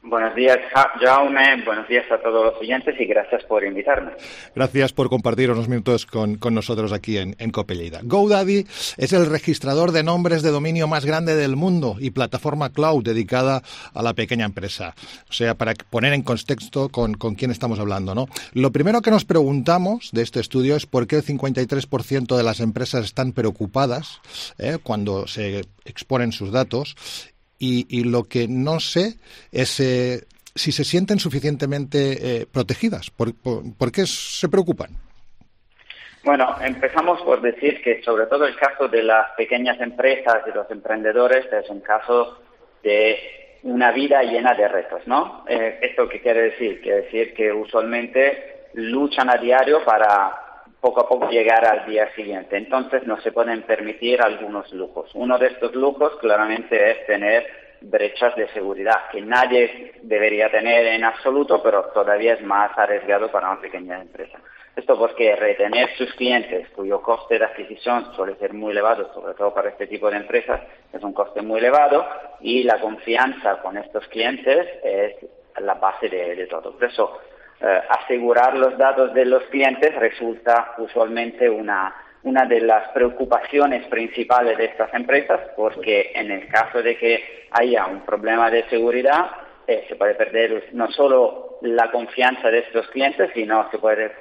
Buenos días, Jaume. Buenos días a todos los oyentes y gracias por invitarme. Gracias por compartir unos minutos con nosotros aquí en COPE Lleida. GoDaddy es el registrador de nombres de dominio más grande del mundo y plataforma cloud dedicada a la pequeña empresa. O sea, para poner en contexto con quién estamos hablando, ¿no? Lo primero que nos preguntamos de este estudio es por qué el 53% de las empresas están preocupadas cuando se exponen sus datos. Y lo que no sé es si se sienten suficientemente protegidas. ¿Por qué se preocupan? Bueno, empezamos por decir que sobre todo el caso de las pequeñas empresas y los emprendedores es un caso de una vida llena de retos, ¿no? ¿Esto qué quiere decir? Quiere decir que usualmente luchan a diario para poco a poco llegar al día siguiente. Entonces no se pueden permitir algunos lujos. Uno de estos lujos claramente es tener brechas de seguridad, que nadie debería tener en absoluto, pero todavía es más arriesgado para una pequeña empresa. Esto porque retener sus clientes, cuyo coste de adquisición suele ser muy elevado, sobre todo para este tipo de empresas, es un coste muy elevado, y la confianza con estos clientes es la base de todo. Por eso, asegurar los datos de los clientes resulta usualmente una de las preocupaciones principales de estas empresas, porque en el caso de que haya un problema de seguridad, se puede perder no solo la confianza de estos clientes, sino se puede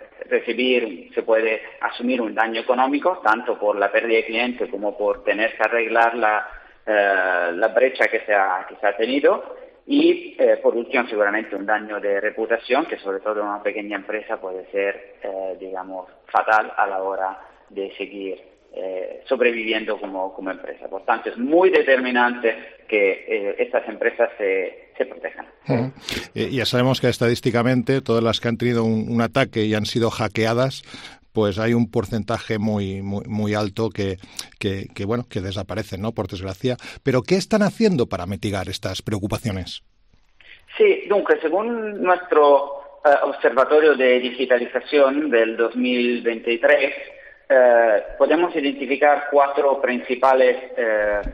asumir un daño económico, tanto por la pérdida de clientes como por tener que arreglar la brecha que se ha tenido. Y por último seguramente un daño de reputación que sobre todo en una pequeña empresa puede ser fatal a la hora de seguir sobreviviendo como empresa. Por tanto es muy determinante que estas empresas se protejan. Ya sabemos que estadísticamente todas las que han tenido un ataque y han sido hackeadas, pues hay un porcentaje muy alto que desaparecen, ¿no? Por desgracia. Pero ¿qué están haciendo para mitigar estas preocupaciones? Sí, según nuestro Observatorio de Digitalización del 2023, podemos identificar 4 principales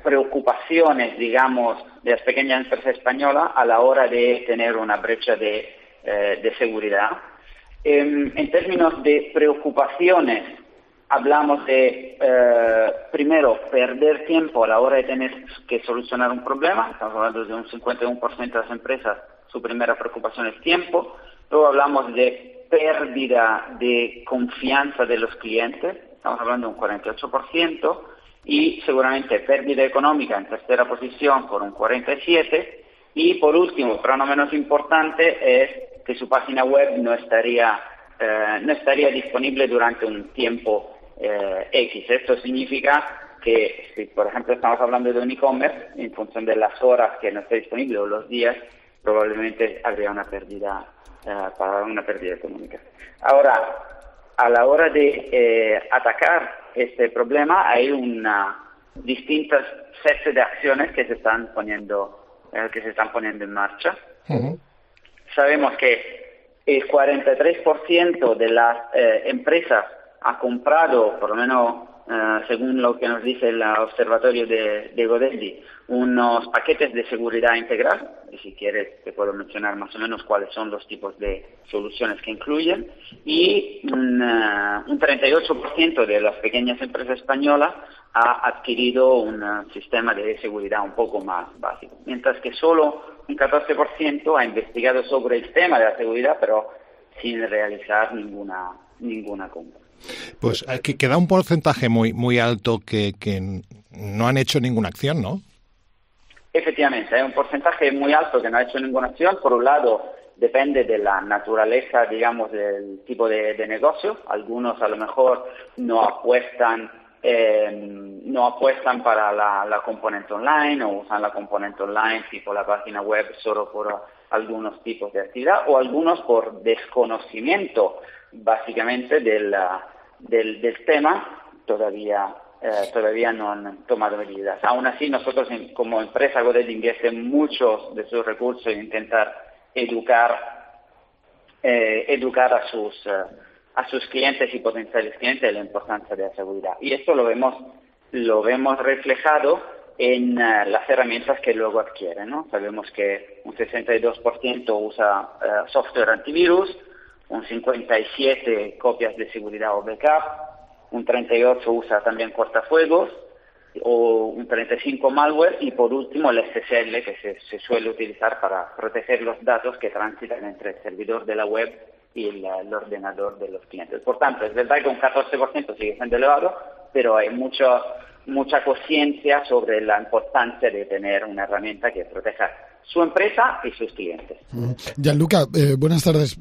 preocupaciones, digamos, de las pequeñas empresas españolas a la hora de tener una brecha de seguridad. En términos de preocupaciones, hablamos de, primero, perder tiempo a la hora de tener que solucionar un problema. Estamos hablando de un 51% de las empresas, su primera preocupación es tiempo. Luego hablamos de pérdida de confianza de los clientes, estamos hablando de un 48%, y seguramente pérdida económica en tercera posición con un 47%. Y por último, pero no menos importante, es que su página web no estaría disponible durante un tiempo X. Esto significa que si, por ejemplo, estamos hablando de un e-commerce, en función de las horas que no esté disponible o los días, probablemente habría una pérdida económica. Ahora, a la hora de atacar este problema, hay distintas series de acciones que se están poniendo en marcha. Uh-huh. Sabemos que el 43% de las empresas ha comprado, por lo menos según lo que nos dice el observatorio de GoDaddy, unos paquetes de seguridad integral. Y si quieres te puedo mencionar más o menos cuáles son los tipos de soluciones que incluyen. Y un 38% de las pequeñas empresas españolas ha adquirido un sistema de seguridad un poco más básico, mientras que solo un 14% ha investigado sobre el tema de la seguridad, pero sin realizar ninguna compra. Pues queda un porcentaje muy alto que no han hecho ninguna acción, ¿no? Efectivamente, hay un porcentaje muy alto que no ha hecho ninguna acción. Por un lado, depende de la naturaleza, digamos, del tipo de negocio. Algunos a lo mejor no apuestan para la componente online, o usan la componente online tipo la página web solo por algunos tipos de actividad, o algunos por desconocimiento básicamente del tema todavía no han tomado medidas. Aún así, nosotros como empresa GoDaddy invierte muchos de sus recursos en intentar educar a sus clientes y potenciales clientes de la importancia de la seguridad. Y esto lo vemos reflejado en las herramientas que luego adquieren, ¿no? Sabemos que un 62% usa software antivirus, un 57% copias de seguridad o backup, un 38% usa también cortafuegos, o un 35% malware, y por último el SSL, que se suele utilizar para proteger los datos que transitan entre el servidor de la web y el ordenador de los clientes. Por tanto, es verdad que un 14% sigue siendo elevado, pero hay mucha conciencia sobre la importancia de tener una herramienta que proteja su empresa y sus clientes. Gianluca, buenas tardes.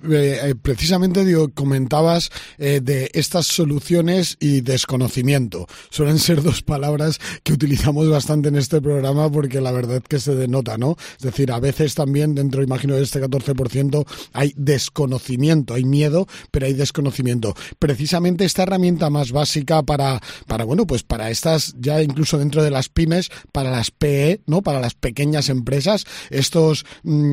Precisamente comentabas de estas soluciones y desconocimiento. Suelen ser dos palabras que utilizamos bastante en este programa porque la verdad que se denota, ¿no? Es decir, a veces también dentro, imagino, de este 14% hay desconocimiento, hay miedo, pero hay desconocimiento. Precisamente esta herramienta más básica para estas, ya incluso dentro de las pymes, para las PE, ¿no? Para las pequeñas empresas, estos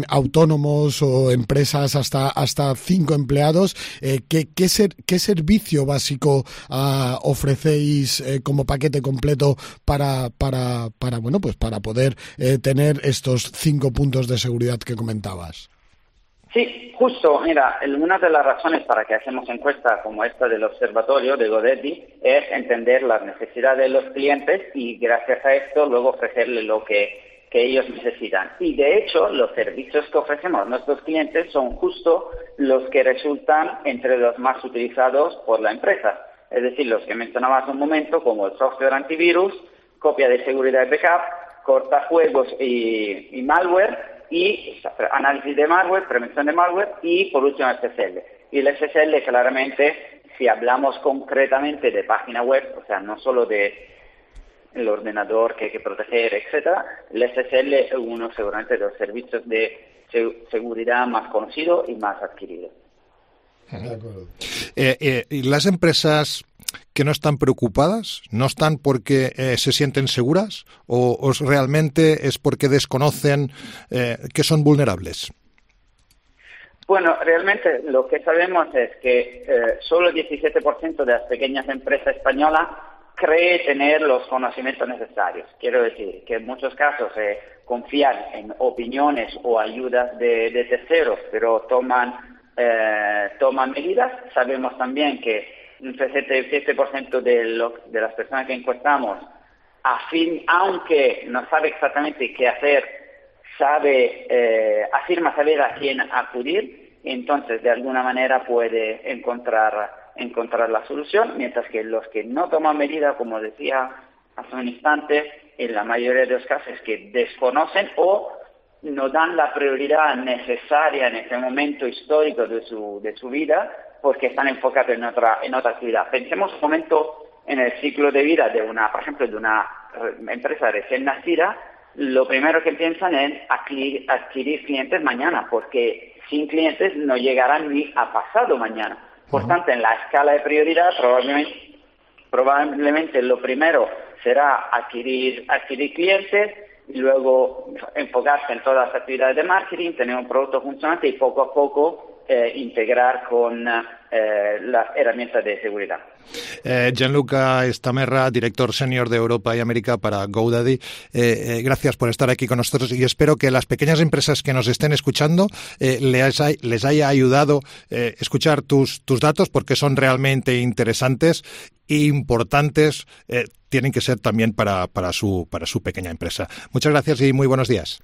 autónomos o empresas hasta 5 empleados, ¿qué servicio básico ofrecéis como paquete completo para poder tener estos 5 puntos de seguridad que comentabas? Sí, justo. Mira, una de las razones para que hacemos encuestas como esta del observatorio de GoDaddy es entender las necesidades de los clientes y gracias a esto luego ofrecerle lo que ellos necesitan. Y de hecho, los servicios que ofrecemos a nuestros clientes son justo los que resultan entre los más utilizados por la empresa. Es decir, los que mencionaba hace un momento, como el software antivirus, copia de seguridad y backup, cortafuegos y malware, y análisis de malware, prevención de malware y por último el SSL. Y el SSL claramente, si hablamos concretamente de página web, o sea, no solo de el ordenador que hay que proteger, etcétera, el SSL es uno seguramente de los servicios de seguridad más conocido y más adquirido. ¿Y las empresas que no están preocupadas, no están porque se sienten seguras o realmente es porque desconocen que son vulnerables? Bueno, realmente lo que sabemos es que solo el 17% de las pequeñas empresas españolas cree tener los conocimientos necesarios. Quiero decir que en muchos casos confían en opiniones o ayudas de terceros, pero toman medidas. Sabemos también que un 67% de las personas que encuestamos, aunque no sabe exactamente qué hacer, afirma saber a quién acudir, entonces de alguna manera puede encontrar la solución, mientras que los que no toman medidas, como decía hace un instante, en la mayoría de los casos es que desconocen o no dan la prioridad necesaria en ese momento histórico de su vida porque están enfocados en otra actividad. Pensemos un momento en el ciclo de vida por ejemplo, de una empresa recién nacida. Lo primero que piensan es adquirir clientes mañana, porque sin clientes no llegarán ni a pasado mañana. Por tanto, en la escala de prioridad, probablemente lo primero será adquirir clientes y luego enfocarse en todas las actividades de marketing, tener un producto funcionante y poco a poco integrar con las herramientas de seguridad. Gianluca Estamerra, director senior de Europa y América para GoDaddy, gracias por estar aquí con nosotros y espero que las pequeñas empresas que nos estén escuchando les haya ayudado escuchar tus datos porque son realmente interesantes e importantes, tienen que ser también para su pequeña empresa. Muchas gracias y muy buenos días.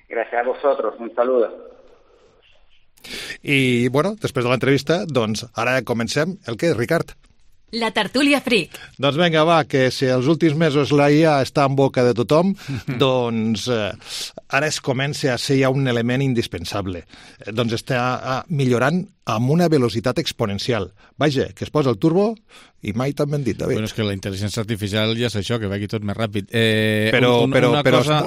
Gracias a vosotros, un saludo. I, bueno, després de l'entrevista, doncs ara comencem el que, Ricard? La tertúlia Freak. Doncs vinga, va, que si els últims mesos la IA està en boca de tothom, doncs ara es comença a ser ja un element indispensable. Doncs està millorant amb una velocitat exponencial. Vaja, que es posa el turbo i mai tan ben dit, David. Bueno, és que la intel·ligència artificial ja és això, que va aquí tot més ràpid. Però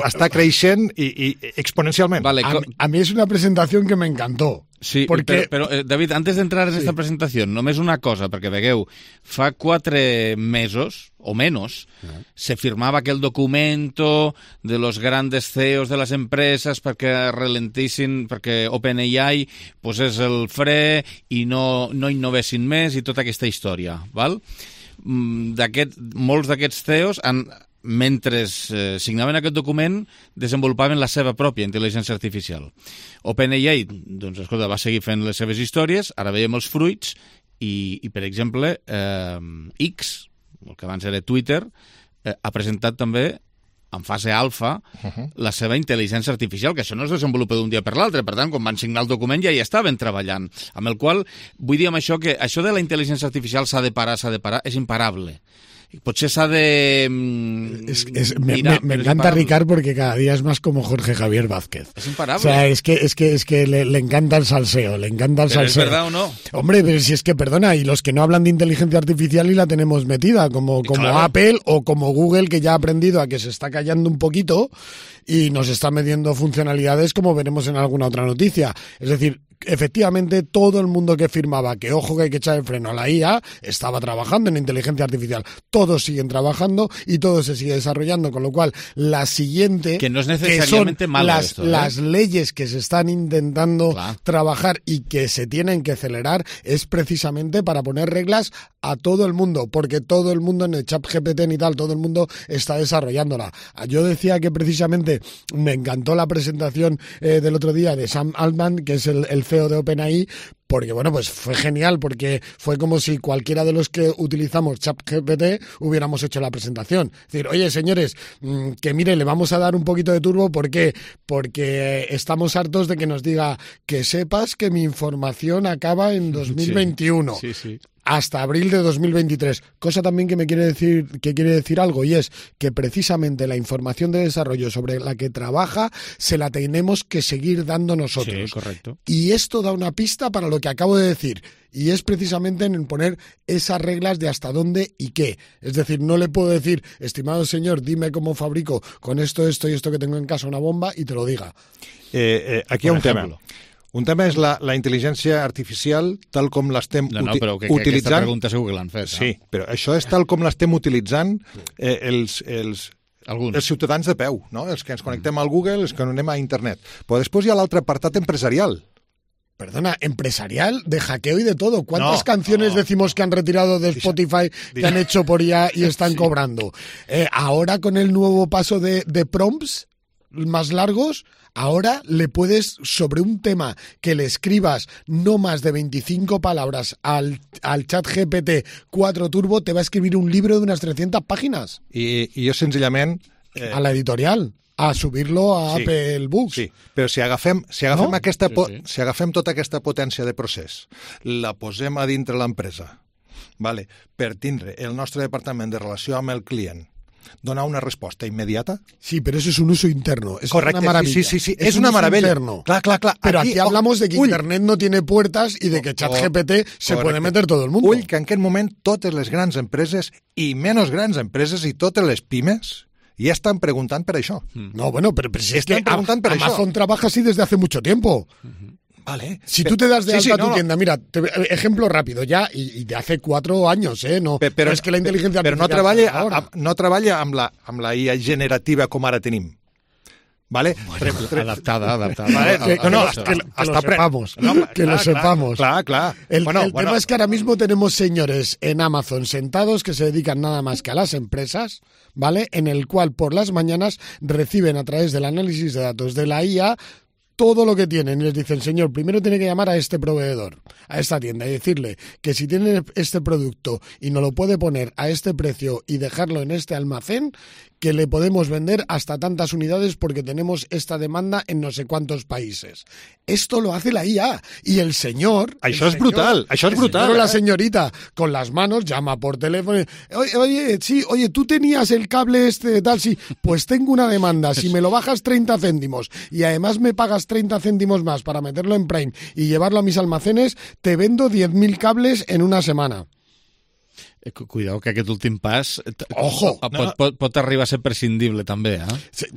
està creixent i exponencialment. Vale, a mí es una presentación que me encantó. Sí, porque... però David, antes d'entrar en esta presentació, només una cosa, perquè vegueu, fa 4 mesos, o menos, se firmava aquel documento de los grandes CEOs de las empresas perquè ralentissin, perquè OpenAI pues, és el fre i no innovessin més i tota aquesta història, val? Molts d'aquests CEOs han mentre signaven aquest document, desenvolupaven la seva pròpia intel·ligència artificial. OpenAI, doncs, escolta, va seguir fent les seves històries, ara veiem els fruits, i per exemple, X, el que abans era Twitter, ha presentat també, en fase alfa, la seva intel·ligència artificial, que això no es desenvolupa d'un dia per l'altre. Per tant, quan van signar el document ja hi estaven treballant. Amb el qual, vull dir amb això que això de la intel·ligència artificial s'ha de parar, és imparable. Potser s'ha de mirar, me encanta Ricard porque cada día es más como Jorge Javier Vázquez. Es imparable. O sea, es que le encanta el salseo, le encanta el ¿Pero salseo. es verdad o no? Hombre, pero si es que, perdona, y los que no hablan de inteligencia artificial y la tenemos metida, como claro. Apple o como Google, que ya ha aprendido a que se está callando un poquito y nos está metiendo funcionalidades como veremos en alguna otra noticia. Es decir, efectivamente, todo el mundo que firmaba que ojo que hay que echar el freno a la IA estaba trabajando en inteligencia artificial. Todos siguen trabajando y todo se sigue desarrollando, con lo cual la siguiente, que no es necesariamente malo las leyes que se están intentando trabajar y que se tienen que acelerar es precisamente para poner reglas a todo el mundo, porque todo el mundo en el ChatGPT y tal, todo el mundo está desarrollándola. Yo decía que precisamente me encantó la presentación del otro día de Sam Altman, que es el CEO de OpenAI, porque bueno, pues fue genial, porque fue como si cualquiera de los que utilizamos ChatGPT hubiéramos hecho la presentación. Es decir, oye señores, que mire, le vamos a dar un poquito de turbo, ¿por qué? Porque estamos hartos de que nos diga que sepas que mi información acaba en 2021. Sí. Hasta abril de 2023. Cosa también que quiere decir algo, y es que precisamente la información de desarrollo sobre la que trabaja se la tenemos que seguir dando nosotros. Sí, correcto. Y esto da una pista para lo que acabo de decir. Y es precisamente en poner esas reglas de hasta dónde y qué. Es decir, no le puedo decir, estimado señor, dime cómo fabrico con esto y esto que tengo en casa una bomba y te lo diga. Aquí hi ha un tema. Un tema és la intel·ligència artificial tal com l'estem però que utilitzant. Aquesta pregunta segur que l'han fet. Sí, però això és tal com l'estem utilitzant els ciutadans de peu, no? Els que ens connectem al Google, els que anem a internet. Però després hi ha l'altre apartat empresarial. Perdona, empresarial, de hackeo y de todo. ¿Cuántas canciones decimos que han retirado de Spotify que han hecho por IA y están cobrando? Ahora con el nuevo paso de prompts más largos, ahora le puedes, sobre un tema que le escribas no más de 25 palabras al ChatGPT 4 Turbo, te va a escribir un libro de unas 300 páginas. I jo senzillament... A la editorial, a subir-lo a Apple Books. Sí, però si agafem tota aquesta potència de procés, la posem a dintre l'empresa, per tindre el nostre departament de relació amb el client, donar una resposta immediata. Sí, pero eso es un uso interno. Es Correcte, una maravilla. Sí, es una maravilla. Clar. Pero aquí hablamos de que Internet no tiene puertas y de que ChatGPT se puede meter todo el mundo. Ull, que en aquest moment totes les grans empreses i menys grans empreses i totes les pimes ja estan preguntant per això. No, bueno, pero si es que Amazon trabaja así desde hace mucho tiempo. Vale. Si tú te das de alta tu tienda, mira, ejemplo rápido ya, y de hace 4 años, no es que la inteligencia artificial... no treballa amb la IA generativa com ara tenim. ¿Vale? Adaptada. Vale, que lo sepamos. Claro. El tema es que ahora mismo tenemos señores en Amazon sentados que se dedican nada más que a las empresas, ¿vale? En el cual por las mañanas reciben a través del análisis de datos de la IA todo lo que tienen y les dicen, señor, primero tiene que llamar a este proveedor, a esta tienda y decirle que si tiene este producto y no lo puede poner a este precio y dejarlo en este almacén, que le podemos vender hasta tantas unidades porque tenemos esta demanda en no sé cuántos países. Esto lo hace la IA. Y el señor... Això és brutal. Pero la señorita con las manos llama por teléfono. Oye, tú tenías el cable este tal, sí. Pues tengo una demanda. Si me lo bajas 30 céntimos y además me pagas 30 céntimos más para meterlo en Prime y llevarlo a mis almacenes, te vendo 10.000 cables en una semana. Cuidado, que aquest últim pas Ojo, pot arribar a ser prescindible també,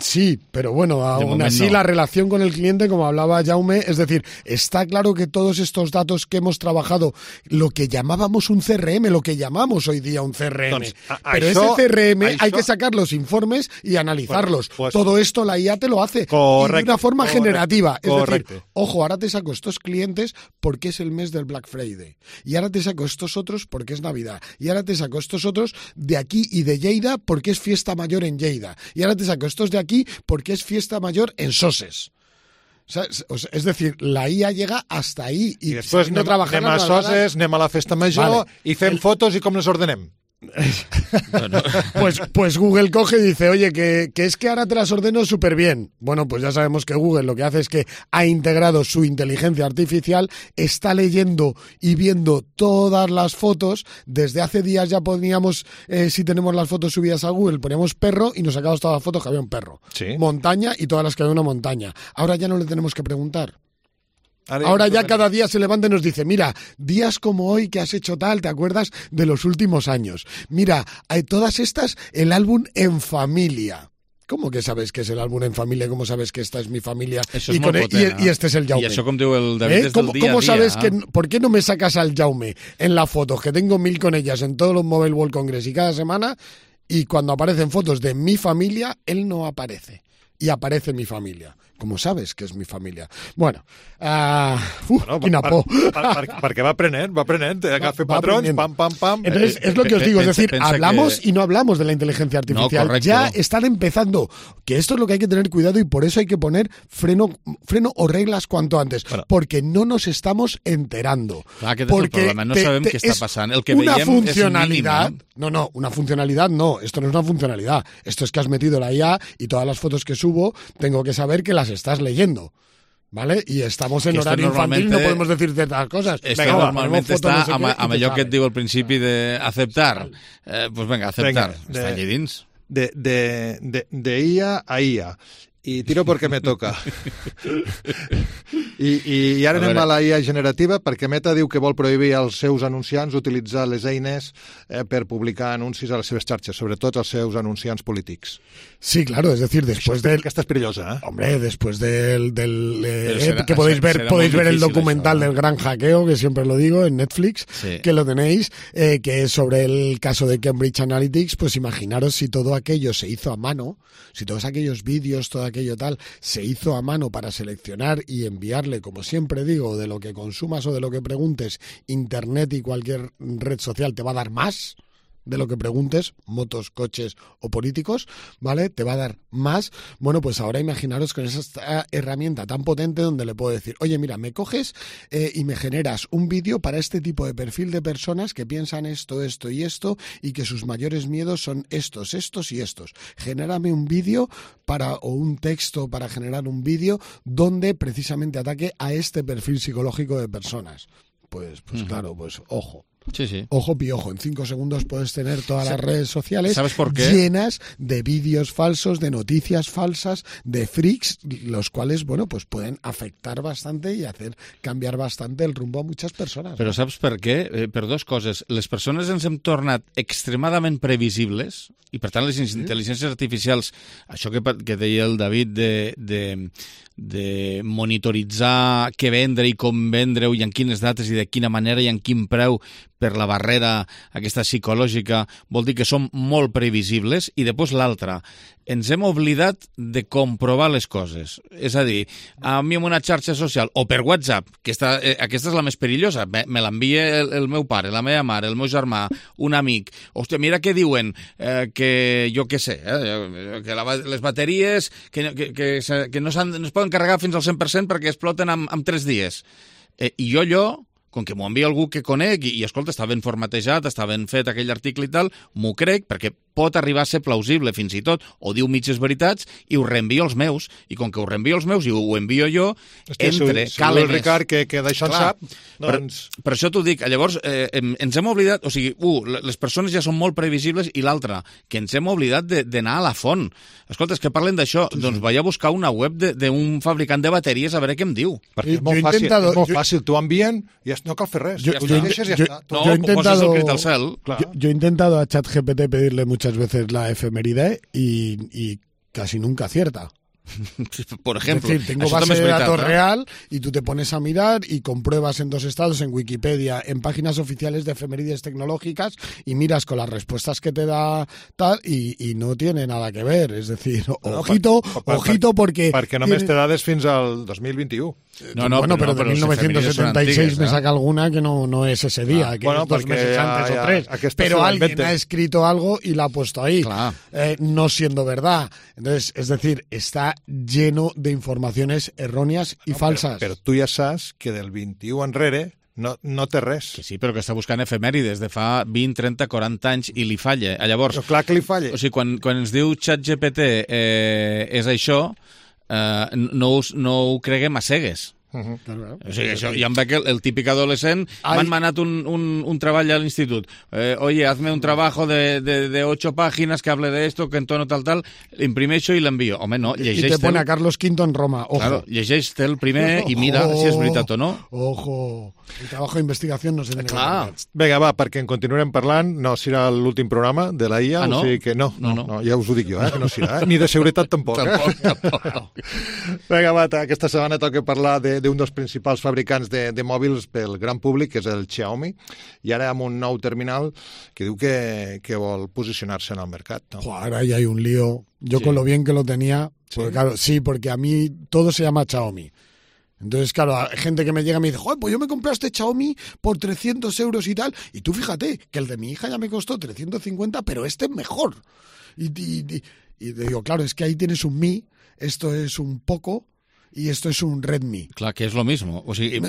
Sí, pero bueno, aún así la relación con el cliente, como hablaba Jaume, es decir, está claro que todos estos datos que hemos trabajado, lo que llamábamos un CRM, lo que llamamos hoy día un CRM, pero ese CRM hay que sacar los informes y analizarlos. Todo esto la IA te lo hace de una forma generativa. Es decir, ojo, ahora te saco estos clientes porque es el mes del Black Friday y ahora te saco estos otros porque es Navidad y ahora te saco estos otros de aquí y de Lleida porque es fiesta mayor en Lleida. Y ahora te saco estos de aquí porque es fiesta mayor en Soses. Es decir, la IA llega hasta ahí. I després anem a Soses, anem a la festa major i fem fotos i com les ordenem. Pues Google coge y dice, oye, que es que ahora te las ordeno súper bien. Bueno, pues ya sabemos que Google lo que hace es que ha integrado su inteligencia artificial, está leyendo y viendo todas las fotos. Desde hace días ya poníamos, si tenemos las fotos subidas a Google, poníamos perro y nos sacamos todas las fotos que había un perro. ¿Sí? Montaña y todas las que había una montaña. Ahora ya no le tenemos que preguntar. Ahora ya cada día se levanta y nos dice, mira, días como hoy que has hecho tal, ¿te acuerdas de los últimos años? Mira, hay todas estas, el álbum en familia. ¿Cómo que sabes que es el álbum en familia? ¿Cómo sabes que esta es mi familia? Eso es molt potent, y este es el Jaume. I això, com diu el David, és del dia a dia. ¿Cómo sabes que, por qué no me sacas al Jaume en la foto? Que tengo 1000 con ellas en todos los Mobile World Congress y cada semana, y cuando aparecen fotos de mi familia, él no aparece. Y aparece mi familia. ¿Cómo sabes que es mi familia? Bueno, quina por. Perquè va aprenent, agafa patrons, pam. Entonces, es lo que os digo, es decir, hablamos y no hablamos de la inteligencia artificial. No, ya están empezando, que esto es lo que hay que tener cuidado y por eso hay que poner freno o reglas cuanto antes, porque no nos estamos enterando. Clar, aquest és el problema, no sabem què està passant. El que veiem funcionalidad, és mínim, no, una funcionalidad no, esto no es una funcionalidad, esto es que has metido la IA y todas las fotos que subo tengo que saber que las estás leyendo. ¿Vale? Y estamos en horario infantil, no podemos decir ciertas cosas. Esto normalmente està amb allò que et diu al principi d'aceptar. Pues venga, aceptar. Està allí dins. De IA a IA. I tiro perquè me toca. I ara anem a la IA generativa perquè Meta diu que vol prohibir als seus anunciants utilitzar les eines per publicar anuncis a les seves xarxes, sobretot als seus anunciants polítics. Sí, claro, es decir, después del... Esta es perillosa, ¿eh? Hombre, después del que podéis ver el documental del gran hackeo, que siempre lo digo, en Netflix, sí, que lo tenéis, que es sobre el caso de Cambridge Analytica, pues imaginaros si todo aquello se hizo a mano, si todos aquellos vídeos, todo aquello tal, se hizo a mano para seleccionar y enviarle, como siempre digo, de lo que consumas o de lo que preguntes, Internet y cualquier red social te va a dar más de lo que preguntes, motos, coches o políticos, ¿vale? Te va a dar más. Bueno, pues ahora imaginaros con esa herramienta tan potente donde le puedo decir, oye, mira, me coges y me generas un vídeo para este tipo de perfil de personas que piensan esto y que sus mayores miedos son estos y estos. Genérame un vídeo o un texto para generar un vídeo donde precisamente ataque a este perfil psicológico de personas. Pues claro, pues ojo. Sí, sí. Ojo piojo, en 5 segundos puedes tener todas las redes sociales ¿sabes por qué? Llenas de vídeos falsos, de noticias falsas, de freaks, los cuales, bueno, pues pueden afectar bastante y hacer cambiar bastante el rumbo a muchas personas. Però saps per què? Per dues coses. Les persones ens hem tornat extremadament previsibles i, per tant, les intel·ligències artificials, això que deia el David de monitoritzar què vendre i com vendre-ho i en quines dates i de quina manera i en quin preu per la barrera aquesta psicològica, vol dir que som molt previsibles. I després l'altra, ens hem oblidat de comprovar les coses. És a dir, a mi en una xarxa social o per WhatsApp, que aquesta és la més perillosa, me l'envia el meu pare, la meva mare, el meu germà, un amic. Hòstia, mira què diuen, que jo què sé, que les bateries que no es poden carregar fins al 100% perquè exploten en 3 dies. I jo com que m'ho envia algú que conec i escolta, està ben formatejat, està ben fet aquell article i tal, m'ho crec perquè pot arribar a ser plausible fins i tot, o diu mitges veritats i ho reenvio als meus, i com que ho reenvio als meus i ho envio jo, entre calen el Ricard que d'això en sap, doncs... Per això t'ho dic, llavors ens hem oblidat, o sigui, les persones ja són molt previsibles i l'altra, que ens hem oblidat d'anar a la font. Escolta, és que parlen d'això, doncs vaig a buscar una web d'un fabricant de bateries a veure què em diu. Perquè és molt fàcil, t'ho envien i no cal fer res. Yo he intentado a ChatGPT pedirle muchas veces la efeméride y casi nunca acierta. Por ejemplo. Es decir, tengo base de datos real y tú te pones a mirar y compruebas en 2 estados, en Wikipedia, en páginas oficiales de efemérides tecnológicas y miras con las respuestas que te da tal y no tiene nada que ver. És dir, ojito porque... Perquè només té dades fins al 2021. Bueno, pero de 1976 me saca alguna que no es ese día, que es 2 meses antes o 3. Pero alguien ha escrito algo y la ha puesto ahí, no siendo verdad. Entonces, es decir, está lleno de informaciones erróneas y falsas. Però tu ja saps que del 21 enrere no té res. Que sí, però que està buscant efemèrides de fa 20, 30, 40 anys i li falla. Llavors, però clar que li falla. O sigui, quan ens diu ChatGPT és això, no ho creguem a cegues. Claro. O sigui, això, ja em veig el típic adolescent, m'han manat un treball a l'institut. Oye, hazme un trabajo de 8 páginas que hable de esto, que en tono tal, imprimeixo i l'envio. Home, no, llegeix... I te pone a Carlos V en Roma, ojo. Claro, llegeix el primer i mira si és veritat o no. Ojo, el trabajo de investigación no se tiene. Clar. Vinga, va, perquè en continuarem parlant, no serà l'últim programa de la IA, no? O sigui que no, ja us ho dic jo, que no serà, ni de seguretat tampoc. Tampoc. Vinga, va, aquesta setmana toca parlar d'un dels principals fabricants de mòbils pel gran públic, que és el Xiaomi, y ara amb un nou terminal que diu que vol posicionar-se en el mercat. ¿No? Ahora ya hay un lío. Yo con lo bien que lo tenía, porque, claro, porque a mí todo se llama Xiaomi. Entonces, claro, hay gente que me llega y me dice, joder, pues yo me compré este Xiaomi por 300 euros y tal, y tú fíjate que el de mi hija ya me costó 350, pero este es mejor. Y digo, claro, es que ahí tienes un Mi, esto es un Poco, y esto es un Redmi. Clar, que és lo mismo. O sigui,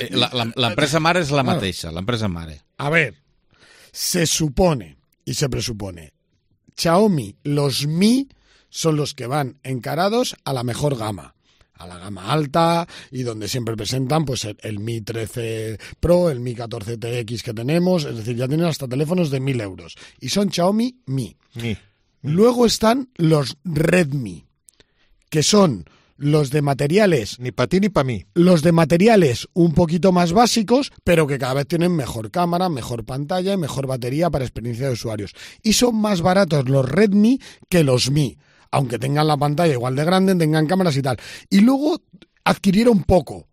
l'empresa mare és la mateixa, l'empresa mare. A ver, se supone y se presupone, Xiaomi, los Mi son los que van encarados a la mejor gama, a la gama alta, y donde siempre presentan pues el Mi 13 Pro, el Mi 14 TX que tenemos, es decir, ya tienen hasta teléfonos de 1.000 euros. Y son Xiaomi Mi. Luego están los Redmi, que son los de materiales... Ni para ti ni para mí. Los de materiales un poquito más básicos, pero que cada vez tienen mejor cámara, mejor pantalla y mejor batería para experiencia de usuarios. Y son más baratos los Redmi que los Mi, aunque tengan la pantalla igual de grande, tengan cámaras y tal. Y luego adquirieron Poco,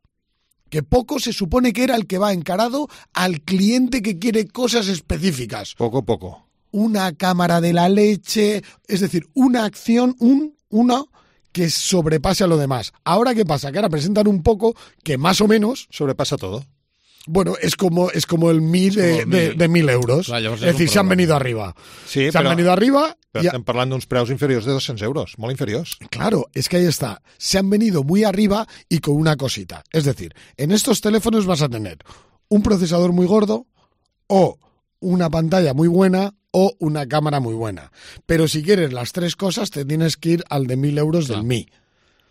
que Poco se supone que era el que va encarado al cliente que quiere cosas específicas. Poco. Una cámara de la leche, es decir, una acción, una que sobrepase a lo demás. Ahora, ¿qué pasa? Que ahora presentan un Poco que más o menos... sobrepasa todo. Bueno, es como el Mi de 1.000 euros. Clar, es decir, se han venido arriba. Sí, han venido arriba... Pero estem parlant d'uns preus inferiors de 200 euros, molt inferiors. Claro, es que ahí está. Se han venido muy arriba y con una cosita. Es decir, en estos teléfonos vas a tener un procesador muy gordo o una pantalla muy buena o una cámara muy buena. Pero si quieres las 3 cosas, te tienes que ir al de 1.000 euros del Mi.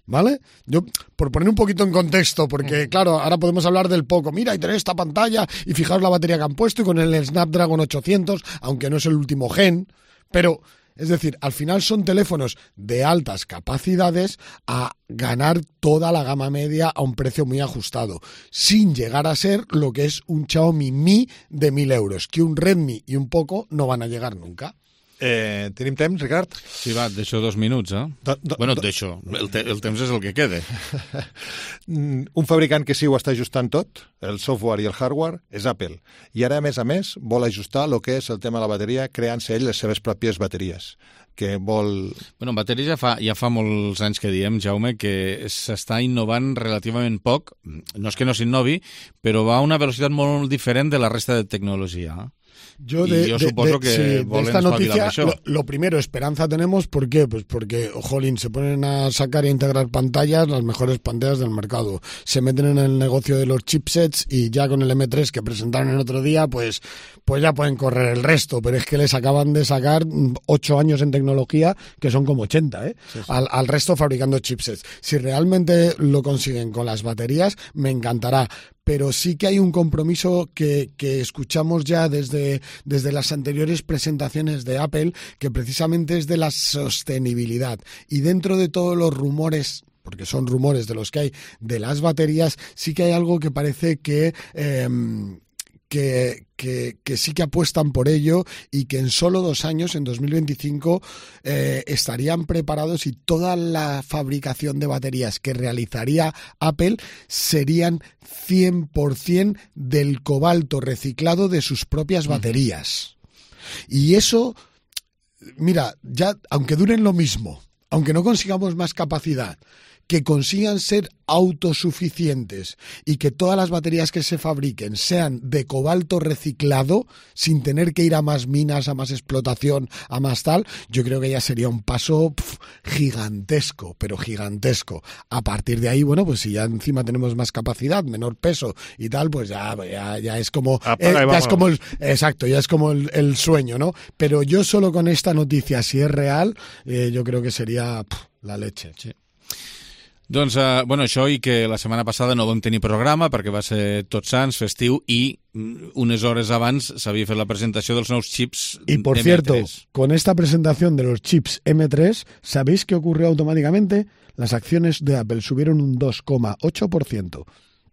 ¿Vale? Yo, por poner un poquito en contexto, porque claro, ahora podemos hablar del Poco. Mira, y tener esta pantalla y fijaos la batería que han puesto y con el Snapdragon 800, aunque no es el último gen, pero... Es decir, al final son teléfonos de altas capacidades a ganar toda la gama media a un precio muy ajustado, sin llegar a ser lo que es un Xiaomi Mi de 1.000 euros, que un Redmi y un Poco no van a llegar nunca. Tenim temps, Ricard? Sí, va, deixo 2 minuts, Bueno, deixo. El temps és el que queda. Un fabricant que sí ho està ajustant tot, el software i el hardware, és Apple. I ara, a més, vol ajustar el que és el tema de la bateria, creant-se ell les seves pròpies bateries. Que vol... Bueno, en bateria ja fa molts anys que diem, Jaume, que s'està innovant relativament poc. No és que no s'innovi, però va a una velocitat molt diferent de la resta de tecnologia. Yo supongo que de esta noticia, lo primero, esperanza tenemos. ¿Por qué? Pues porque, jolín, se ponen a sacar e integrar pantallas, las mejores pantallas del mercado. Se meten en el negocio de los chipsets y ya con el M3 que presentaron el otro día, pues ya pueden correr el resto. Pero es que les acaban de sacar 8 años en tecnología, que son como 80, Sí. Al resto fabricando chipsets. Si realmente lo consiguen con las baterías, me encantará. Pero sí que hay un compromiso que escuchamos ya desde las anteriores presentaciones de Apple, que precisamente es de la sostenibilidad. Y dentro de todos los rumores, porque son rumores de los que hay, de las baterías, sí que hay algo que parece que que sí que apuestan por ello y que en solo 2 años, en 2025, estarían preparados y toda la fabricación de baterías que realizaría Apple serían 100% del cobalto reciclado de sus propias baterías. Y eso, mira, ya aunque duren lo mismo, aunque no consigamos más capacidad, que consigan ser autosuficientes y que todas las baterías que se fabriquen sean de cobalto reciclado sin tener que ir a más minas, a más explotación, a más tal, yo creo que ya sería un paso gigantesco, pero gigantesco. A partir de ahí, bueno, pues si ya encima tenemos más capacidad, menor peso y tal, pues ya es como ya es como el sueño, ¿no? Pero yo solo con esta noticia, si es real, yo creo que sería la leche. Sí. Doncs, bueno, això i que la setmana passada no vam tenir programa perquè va ser Tots Sants, festiu, i unes hores abans s'havia fet la presentació dels nous chips M3. Y por cierto, con esta presentación de los chips M3, ¿sabéis qué ocurrió automáticamente? Las acciones de Apple subieron un 2,8%.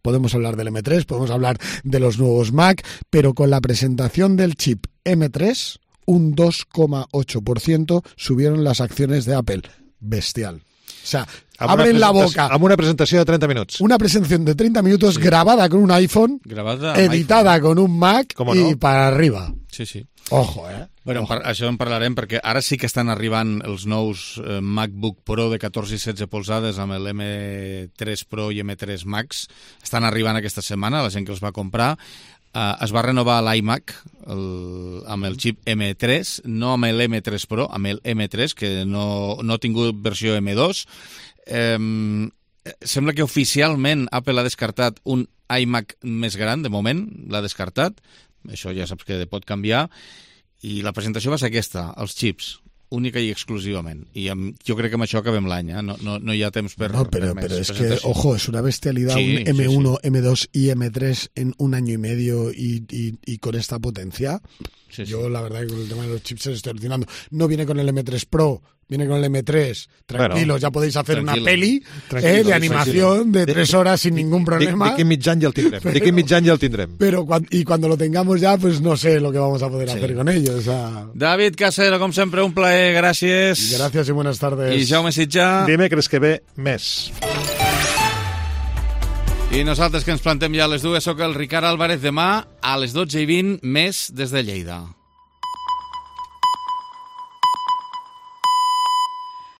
Podemos hablar del M3, podemos hablar de los nuevos Mac, pero con la presentación del chip M3, un 2,8% subieron las acciones de Apple. Bestial. O sea, abren la boca. Amb una presentació de 30 minuts. Una presentación de 30 minutos grabada con un iPhone, editada con un Mac y para arriba. Sí, sí. Ojo, Bueno, això en parlarem perquè ara sí que estan arribant els nous MacBook Pro de 14 i 16 polzades amb el M3 Pro i M3 Max. Estan arribant aquesta setmana, la gent que els va comprar. Es va renovar l'iMac amb el xip M3, no amb l'M3 Pro, amb el M3, que no ha tingut versió M2. Sembla que oficialment Apple ha descartat un iMac més gran, de moment l'ha descartat. Això ja saps que pot canviar. I la presentació va ser aquesta, els xips, única y exclusivament. I jo crec que amb això acabem l'any, no hi ha temps per... No, pero es que, ojo, es una bestialidad, sí, un M1, sí. M2 y M3 en 1 año y medio y con esta potencia. Sí, sí. Yo la verdad que con el tema de los chips se estoy alucinando. No viene con el M3 Pro, viene con el M3. Tranquilos, bueno, ya podéis hacer una peli de animación de 3 horas sin ningún problema. D'aquí mig any ja el tindrem. Pero cuando lo tengamos ya, pues no sé lo que vamos a poder hacer con ellos. O sea... David Casero, com sempre, un plaer, gràcies. Gràcies i buenas tardes. I Jaume Sitjà. Dimecres que ve, més. I nosaltres que ens plantem ja a les 2, soc el Ricard Álvarez. Demà a les 12:20, més des de Lleida.